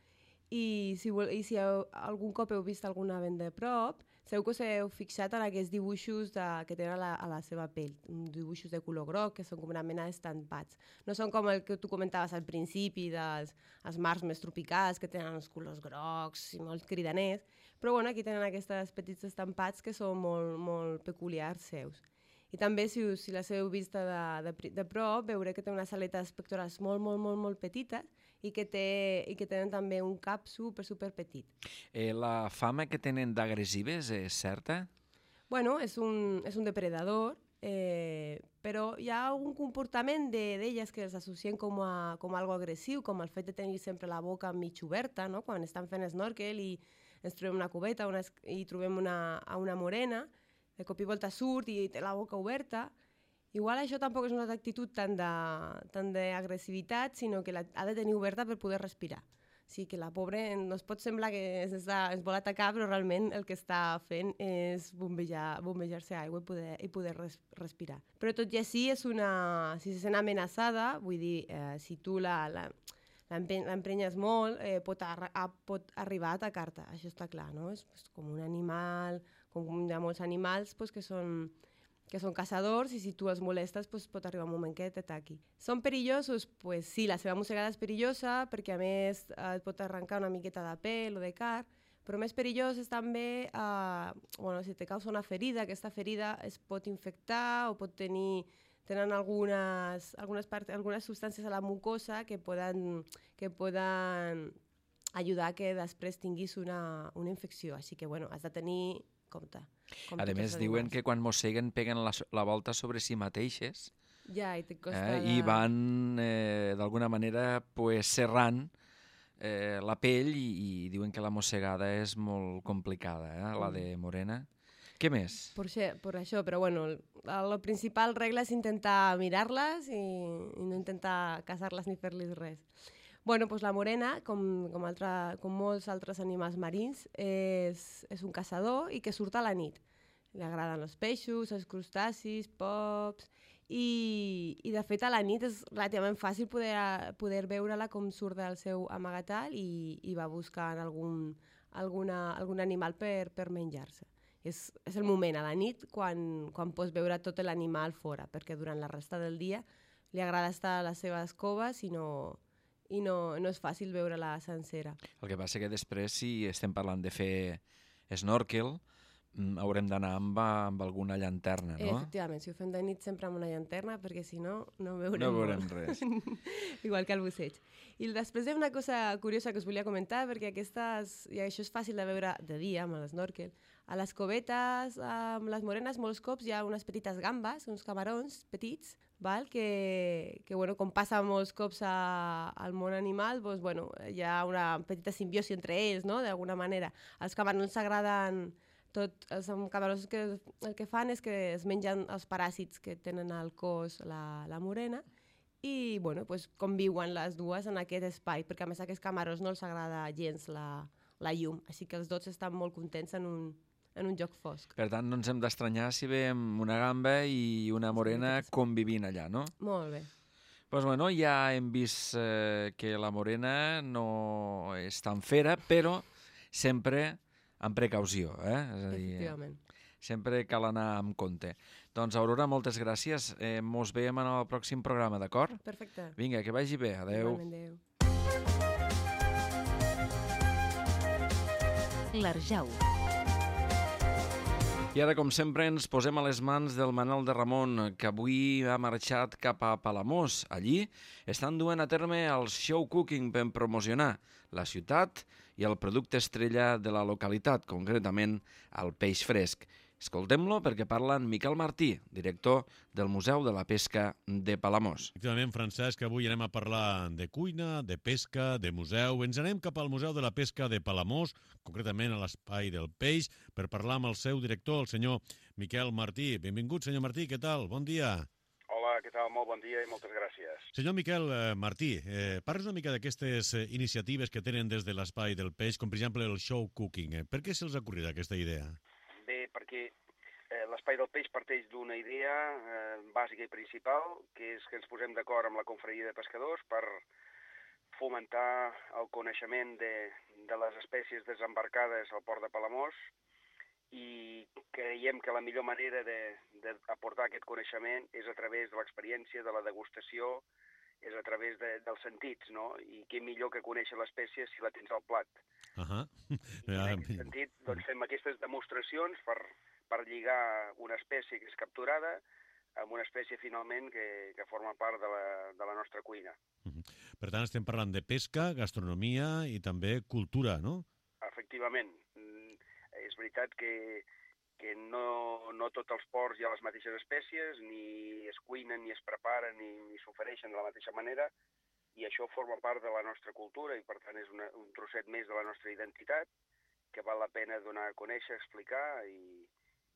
i si, vol, i si heu, algun cop heu vist alguna ben de prop, segur que us heu fixat en aquests dibuixos de, que tenen a la, a la seva pell, dibuixos de color groc, que són com una mena d'estampats. No són com el que tu comentaves al principi dels els mars més tropicals, que tenen els colors grocs i molt cridaners, però bueno, aquí tenen aquests petits estampats que són molt, molt peculiars seus. I també, si, us, si les heu vist de, de, de prop, veureu que té unes aletes pectorals molt, molt, molt, molt petites i que, té, i que tenen també un cap super, super petit. Eh, la fama que tenen d'agressives és certa? Bueno, és un, és un depredador, eh, però hi ha un comportament d'elles de, que els associen com a, com a algo agressiu, com el fet de tenir sempre la boca mig oberta, no?, quan estan fent snorkel i ens trobem una cubeta una, i trobem una, a una morena, de cop i volta surt i té la boca oberta. Igual això tampoc és una actitud tant d'agressivitat, sinó que la, ha de tenir oberta per poder respirar. O sigui que la pobra no es pot semblar que es, està, es vol atacar, però realment el que està fent és bombejar, bombejar-se aigua i poder, i poder res, respirar. Però tot i així, és una, si se sent amenaçada, vull dir, eh, si tu la... la l'emprenyes molt, eh, pot, ar pot arribar a atacar-te, això està clar, no? És pues, com un animal, com hi ha molts animals pues, que, són, que són caçadors i si tu els molestes pues, pot arribar un moment que t'ataqui. Són perillosos? Pues sí, la seva mossegada és perillosa perquè a més eh, et pot arrencar una miqueta de pèl o de carn, però més perillós és també, eh, bueno, si te causa una ferida, aquesta ferida es pot infectar o pot tenir... tenen algunes, algunes, part, algunes substàncies a la mucosa que poden, que poden ajudar que després tinguis una, una infecció. Així que, bueno, has de tenir compte. A més, diuen que quan mosseguen peguen la, la volta sobre si mateixes ja, i, costa eh, de... i van, eh, d'alguna manera, pues, serrant eh, la pell i, i diuen que la mossegada és molt complicada, eh, la de morena. Què més? Per això, per això, però bueno, la principal regla és intentar mirar-les i, i no intentar caçar-les ni fer-les res. Bueno, doncs la morena, com, com, altra, com molts altres animals marins, és, és un caçador i que surt a la nit. Li agraden els peixos, els crustacis, pops... I, i de fet a la nit és relativament fàcil poder, poder veure-la com surt del seu amagatall i, i va buscant algun, alguna, algun animal per, per menjar-se. És, és el moment, a la nit, quan, quan pots veure tot l'animal fora, perquè durant la resta del dia li agrada estar a les seves coves i no, i no, no és fàcil veure-la sencera. El que passa que després, si estem parlant de fer snorkel, haurem d'anar amb, amb alguna llanterna, no? Efectivament, si ho fem de nit sempre amb una llanterna, perquè si no, no veurem, no veurem res. Igual que el busseig. I després hi ha una cosa curiosa que us volia comentar, perquè aquestes, i això és fàcil de veure de dia amb l'snorkel, a les covetes, amb les morenes, molts cops hi ha unes petites gambes, uns camarons petits, val? Que, que bueno, com passa molts cops a, al món animal, doncs, bueno, hi ha una petita simbiosi entre ells, no? D'alguna manera. Els camarons s'agraden... Tot, els camarons que, el que fan és que es mengen els paràsits que tenen al cos la, la morena i bueno, pues, conviuen les dues en aquest espai, perquè a més a aquests camarons no els agrada gens la, la llum, així que els dos estan molt contents en un, en un joc fosc. Per tant, no ens hem d'estranyar si veiem una gamba i una morena convivint allà, no? Molt bé. Pues bueno, ja hem vist eh, que la morena no és tan fera, però sempre... amb precaució, eh? És a dir, efectivament. Sempre cal anar amb compte. Doncs, Aurora, moltes gràcies. Eh, mos veiem en el pròxim programa, d'acord? Perfecte. Vinga, que vagi bé. Adéu. Adéu. L'Arjau. I ara, com sempre, ens posem a les mans del Manel de Ramon, que avui ha marxat cap a Palamós. Allí estan duent a terme el show cooking per promocionar la ciutat i el producte estrella de la localitat, concretament el peix fresc. Escoltem-lo perquè parla en Miquel Martí, director del Museu de la Pesca de Palamós. Efectivament, Francesc, avui anem a parlar de cuina, de pesca, de museu. Ens anem cap al Museu de la Pesca de Palamós, concretament a l'Espai del Peix, per parlar amb el seu director, el senyor Miquel Martí. Benvingut, senyor Martí, què tal? Bon dia. Hola, què tal? Molt bon dia i moltes gràcies. Senyor Miquel eh, Martí, eh, parles una mica d'aquestes eh, iniciatives que tenen des de l'Espai del Peix, com per exemple el show cooking. Eh? Per què se'ls ha ocorrit aquesta idea? Bé, perquè eh, l'Espai del Peix parteix d'una idea eh, bàsica i principal, que és que ens posem d'acord amb la confraria de pescadors per fomentar el coneixement de, de les espècies desembarcades al port de Palamós, i creiem que la millor manera d'aportar aquest coneixement és a través de l'experiència, de la degustació, és a través de, dels sentits, no? I què millor que conèixer l'espècie si la tens al plat. Uh -huh. I en aquest sentit, doncs, fem aquestes demostracions per, per lligar una espècie que és capturada amb una espècie, finalment, que, que forma part de la, de la nostra cuina. Uh -huh. Per tant, estem parlant de pesca, gastronomia i també cultura, no? Efectivament. És veritat que, que no, no tots els ports hi ha les mateixes espècies, ni es cuinen, ni es preparen, ni, ni s'ofereixen de la mateixa manera, i això forma part de la nostra cultura i, per tant, és una, un trosset més de la nostra identitat que val la pena donar a conèixer, explicar i,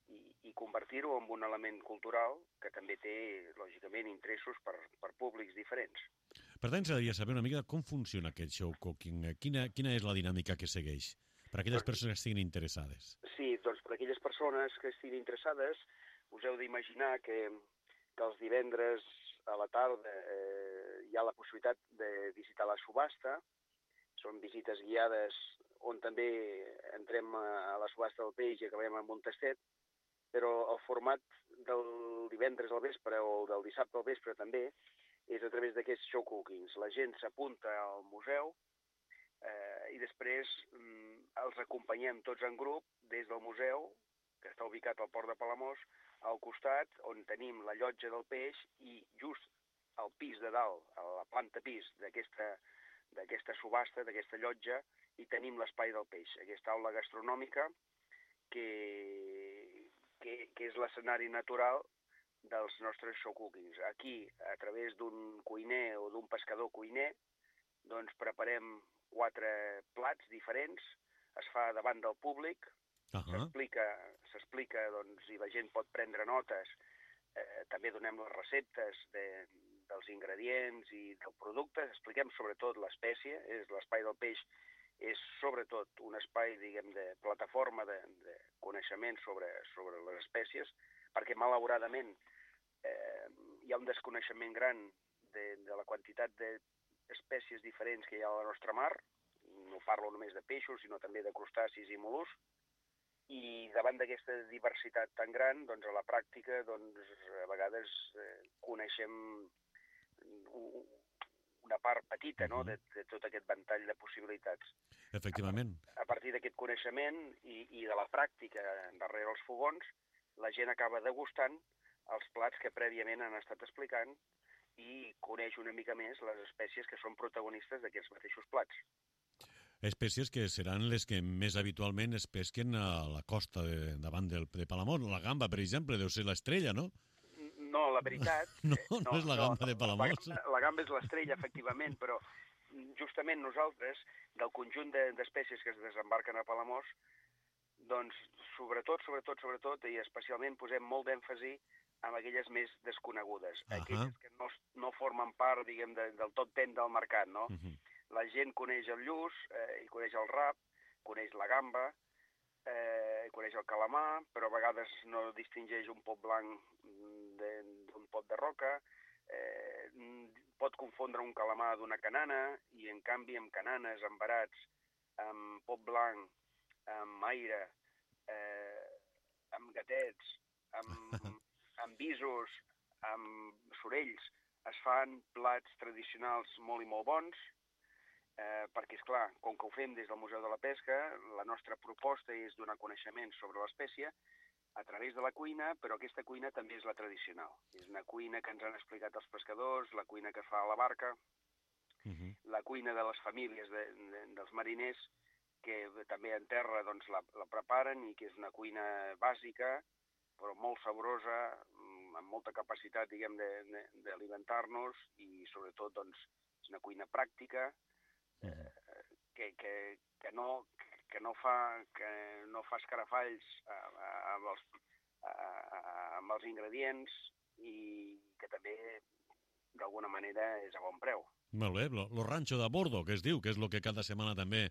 i, i convertir-ho en un element cultural que també té, lògicament, interessos per, per públics diferents. Per tant, s'hauria de saber una mica com funciona aquest show cooking. Quina, quina és la dinàmica que segueix per a aquelles persones que estiguin interessades? Sí, doncs per a aquelles persones que estiguin interessades us heu d'imaginar que, que els divendres a la tarda eh, hi ha la possibilitat de visitar la subhasta. Són visites guiades on també entrem a la subhasta del peix i acabem amb un tastet, però el format del divendres al vespre o del dissabte al vespre també és a través d'aquests show cookings. La gent s'apunta al museu eh, i després mm, els acompanyem tots en grup des del museu, que està ubicat al port de Palamós, al costat on tenim la llotja del peix i just al pis de dalt, a la planta pis d'aquesta d'aquesta subhasta, d'aquesta llotja, i tenim l'Espai del Peix, aquesta aula gastronòmica que, que, que és l'escenari natural dels nostres show cookings. Aquí, a través d'un cuiner o d'un pescador cuiner, doncs preparem quatre plats diferents, es fa davant del públic, uh -huh. s'explica, s'explica, doncs, i la gent pot prendre notes, eh, també donem les receptes de, dels ingredients i del producte, expliquem sobretot l'espècie, és l'Espai del Peix és sobretot un espai, diguem, de plataforma de, de coneixement sobre, sobre les espècies, perquè malauradament eh, hi ha un desconeixement gran de, de la quantitat d'espècies diferents que hi ha a la nostra mar. No parlo només de peixos, sinó també de crustacis i mol·luscs, i davant d'aquesta diversitat tan gran, doncs a la pràctica, doncs a vegades eh, coneixem una part petita, no?, de, de tot aquest ventall de possibilitats. Efectivament. A, a partir d'aquest coneixement i, i de la pràctica darrere els fogons, la gent acaba degustant els plats que prèviament han estat explicant i coneix una mica més les espècies que són protagonistes d'aquests mateixos plats. Espècies que seran les que més habitualment es pesquen a la costa de, davant del, de Palamós. La gamba, per exemple, deu ser l'estrella, no? No, la veritat... no, no, no és la gamba no, de Palamós. La, la gamba és l'estrella, efectivament, però justament nosaltres, del conjunt d'espècies de, que es desembarquen a Palamós, doncs sobretot, sobretot, sobretot, i especialment posem molt d'èmfasi amb aquelles més desconegudes, uh -huh. aquelles que no, no formen part, diguem, de, del top ten del mercat, no? Uh -huh. La gent coneix el lluç, eh, i coneix el rap, coneix la gamba, eh, coneix el calamar, però a vegades no distingeix un pot blanc d'un pot de roca, eh, pot confondre un calamar d'una canana, i en canvi amb cananes, amb barats, amb pot blanc, amb aire, eh, amb gatets, amb, amb visos, amb sorells, es fan plats tradicionals molt i molt bons, eh, perquè, és clar, com que ho fem des del Museu de la Pesca, la nostra proposta és donar coneixement sobre l'espècie, a través de la cuina, però aquesta cuina també és la tradicional. És una cuina que ens han explicat els pescadors, la cuina que es fa a la barca, uh-huh. la cuina de les famílies de, de, dels mariners, que també en terra doncs, la, la preparen i que és una cuina bàsica, però molt saborosa, amb molta capacitat, diguem, d'alimentar-nos i, sobretot, doncs, és una cuina pràctica, eh, que, que, que no... que no fa, que no fa escarafalls amb els, amb els ingredients i que també, d'alguna manera, és a bon preu. Molt bé, lo, lo rancho de bordo, que es diu, que és el que cada setmana també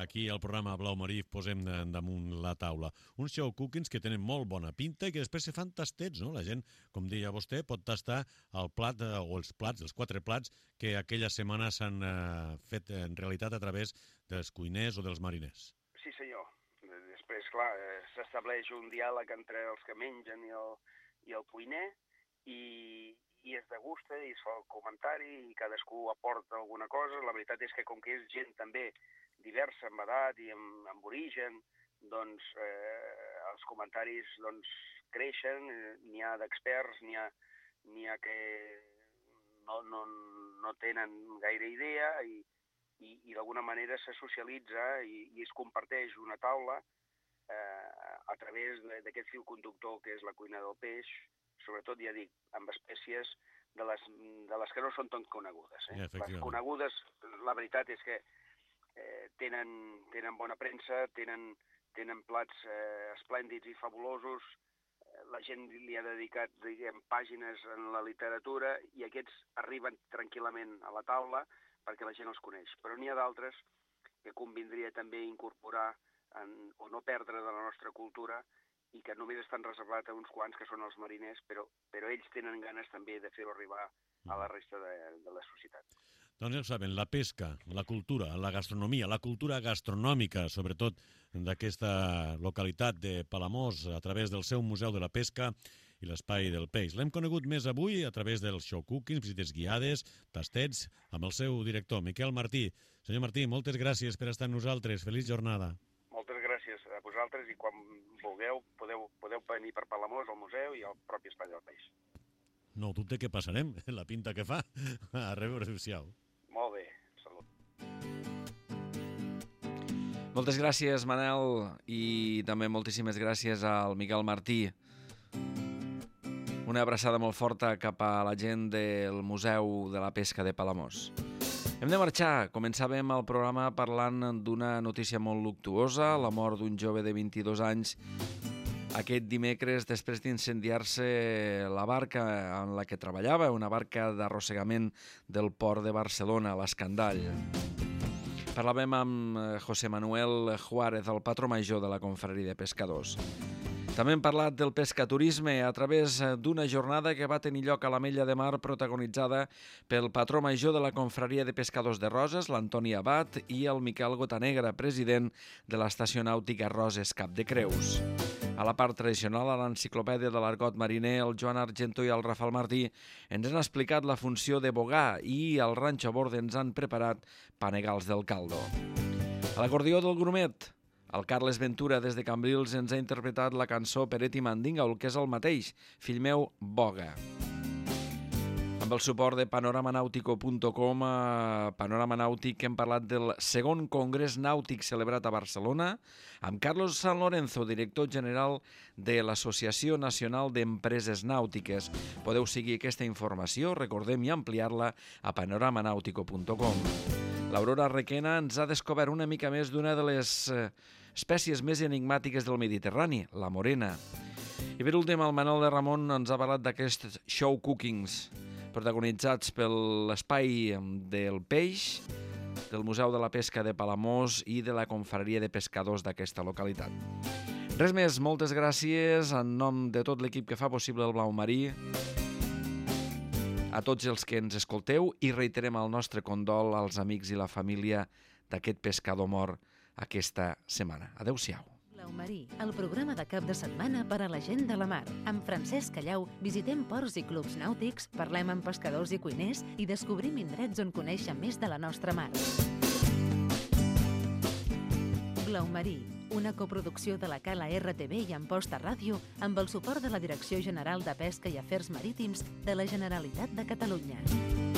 aquí al programa Blau Marí posem damunt la taula. Uns show cookings que tenen molt bona pinta i que després se fan tastets, no? La gent, com deia vostè, pot tastar el plat o els plats, els quatre plats que aquella setmana s'han eh, fet en realitat a través dels cuiners o dels mariners. Sí, senyor. Després, clar, s'estableix un diàleg entre els que mengen i el, i el cuiner i, i es degusta i es fa el comentari i cadascú aporta alguna cosa. La veritat és que com que és gent també diversa en edat i en, en origen, doncs eh, els comentaris doncs, creixen, n'hi ha d'experts, n'hi ha, n'hi ha que no, no, no tenen gaire idea i i, i d'alguna manera se socialitza i, i es comparteix una taula eh, a través d'aquest fil conductor que és la cuina del peix, sobretot, ja dic, amb espècies de les, de les que no són tan conegudes. Eh? Les conegudes, la veritat és que eh, tenen, tenen bona premsa, tenen, tenen plats eh, esplèndids i fabulosos, la gent li ha dedicat, diguem, pàgines en la literatura i aquests arriben tranquil·lament a la taula perquè la gent els coneix. Però n'hi ha d'altres que convindria també incorporar en, o no perdre de la nostra cultura i que només estan reservats a uns quants que són els mariners, però, però ells tenen ganes també de fer-ho arribar a la resta de, de la societat. Doncs ja ho saben, la pesca, la cultura, la gastronomia, la cultura gastronòmica, sobretot d'aquesta localitat de Palamós, a través del seu Museu de la Pesca i l'Espai del Peix. L'hem conegut més avui a través dels show cookings, visites guiades, tastets, amb el seu director, Miquel Martí. Senyor Martí, moltes gràcies per estar amb nosaltres. Feliç jornada. Moltes gràcies a vosaltres i quan vulgueu podeu, podeu venir per Palamós, al museu i al propi Espai del Peix. No dubte que passarem, la pinta que fa. A reveure, adéu-siau. Molt bé, salut. Moltes gràcies, Manel, i també moltíssimes gràcies al Miquel Martí. Una abraçada molt forta cap a la gent del Museu de la Pesca de Palamós. Hem de marxar. Començàvem el programa parlant d'una notícia molt luctuosa, la mort d'un jove de vint-i-dos anys aquest dimecres després d'incendiar-se la barca en la que treballava, una barca d'arrossegament del port de Barcelona, l'Escandall. Parlàvem amb José Manuel Juárez, el patró major de la Confraria de Pescadors. També hem parlat del pescaturisme a través d'una jornada que va tenir lloc a l'Ametlla de Mar protagonitzada pel patró major de la Confraria de Pescadors de Roses, l'Antoni Abad, i el Miquel Gotanegra, president de l'Estació Nàutica Roses Cap de Creus. A la part tradicional, a l'enciclopèdia de l'argot mariner, el Joan Argento i el Rafael Martí ens han explicat la funció de bogar i al ranxo a bord ens han preparat panegals del caldo. A l'acordió del grumet, el Carles Ventura, des de Cambrils, ens ha interpretat la cançó Peret i Mandinga, el que és el mateix, Fill meu, boga. Amb el suport de panorama nàutico punt com, a Panorama Nàutic, hem parlat del segon Congrés Nàutic celebrat a Barcelona, amb Carlos San Lorenzo, director general de l'Associació Nacional d'Empreses Nàutiques. Podeu seguir aquesta informació, recordem, i ampliar-la a panorama nàutico punt com. L'Aurora Requena ens ha descobert una mica més d'una de les espècies més enigmàtiques del Mediterrani, la morena. I per últim, el Manel de Ramon ens ha parlat d'aquests show cookings protagonitzats per l'Espai del Peix, del Museu de la Pesca de Palamós i de la Confraria de Pescadors d'aquesta localitat. Res més, moltes gràcies en nom de tot l'equip que fa possible el Blau Marí, a tots els que ens escolteu, i reiterem el nostre condol als amics i la família d'aquest pescador mort aquesta setmana. Adéu-siau. Blau Marí, el programa de cap de setmana per a la gent de la mar. Amb Francesc Callau visitem ports i clubs nàutics, parlem amb pescadors i cuiners i descobrim indrets on conèixer més de la nostra mar. Blau Marí, una coproducció de la Cala R T V i Amposta Ràdio amb el suport de la Direcció General de Pesca i Afers Marítims de la Generalitat de Catalunya.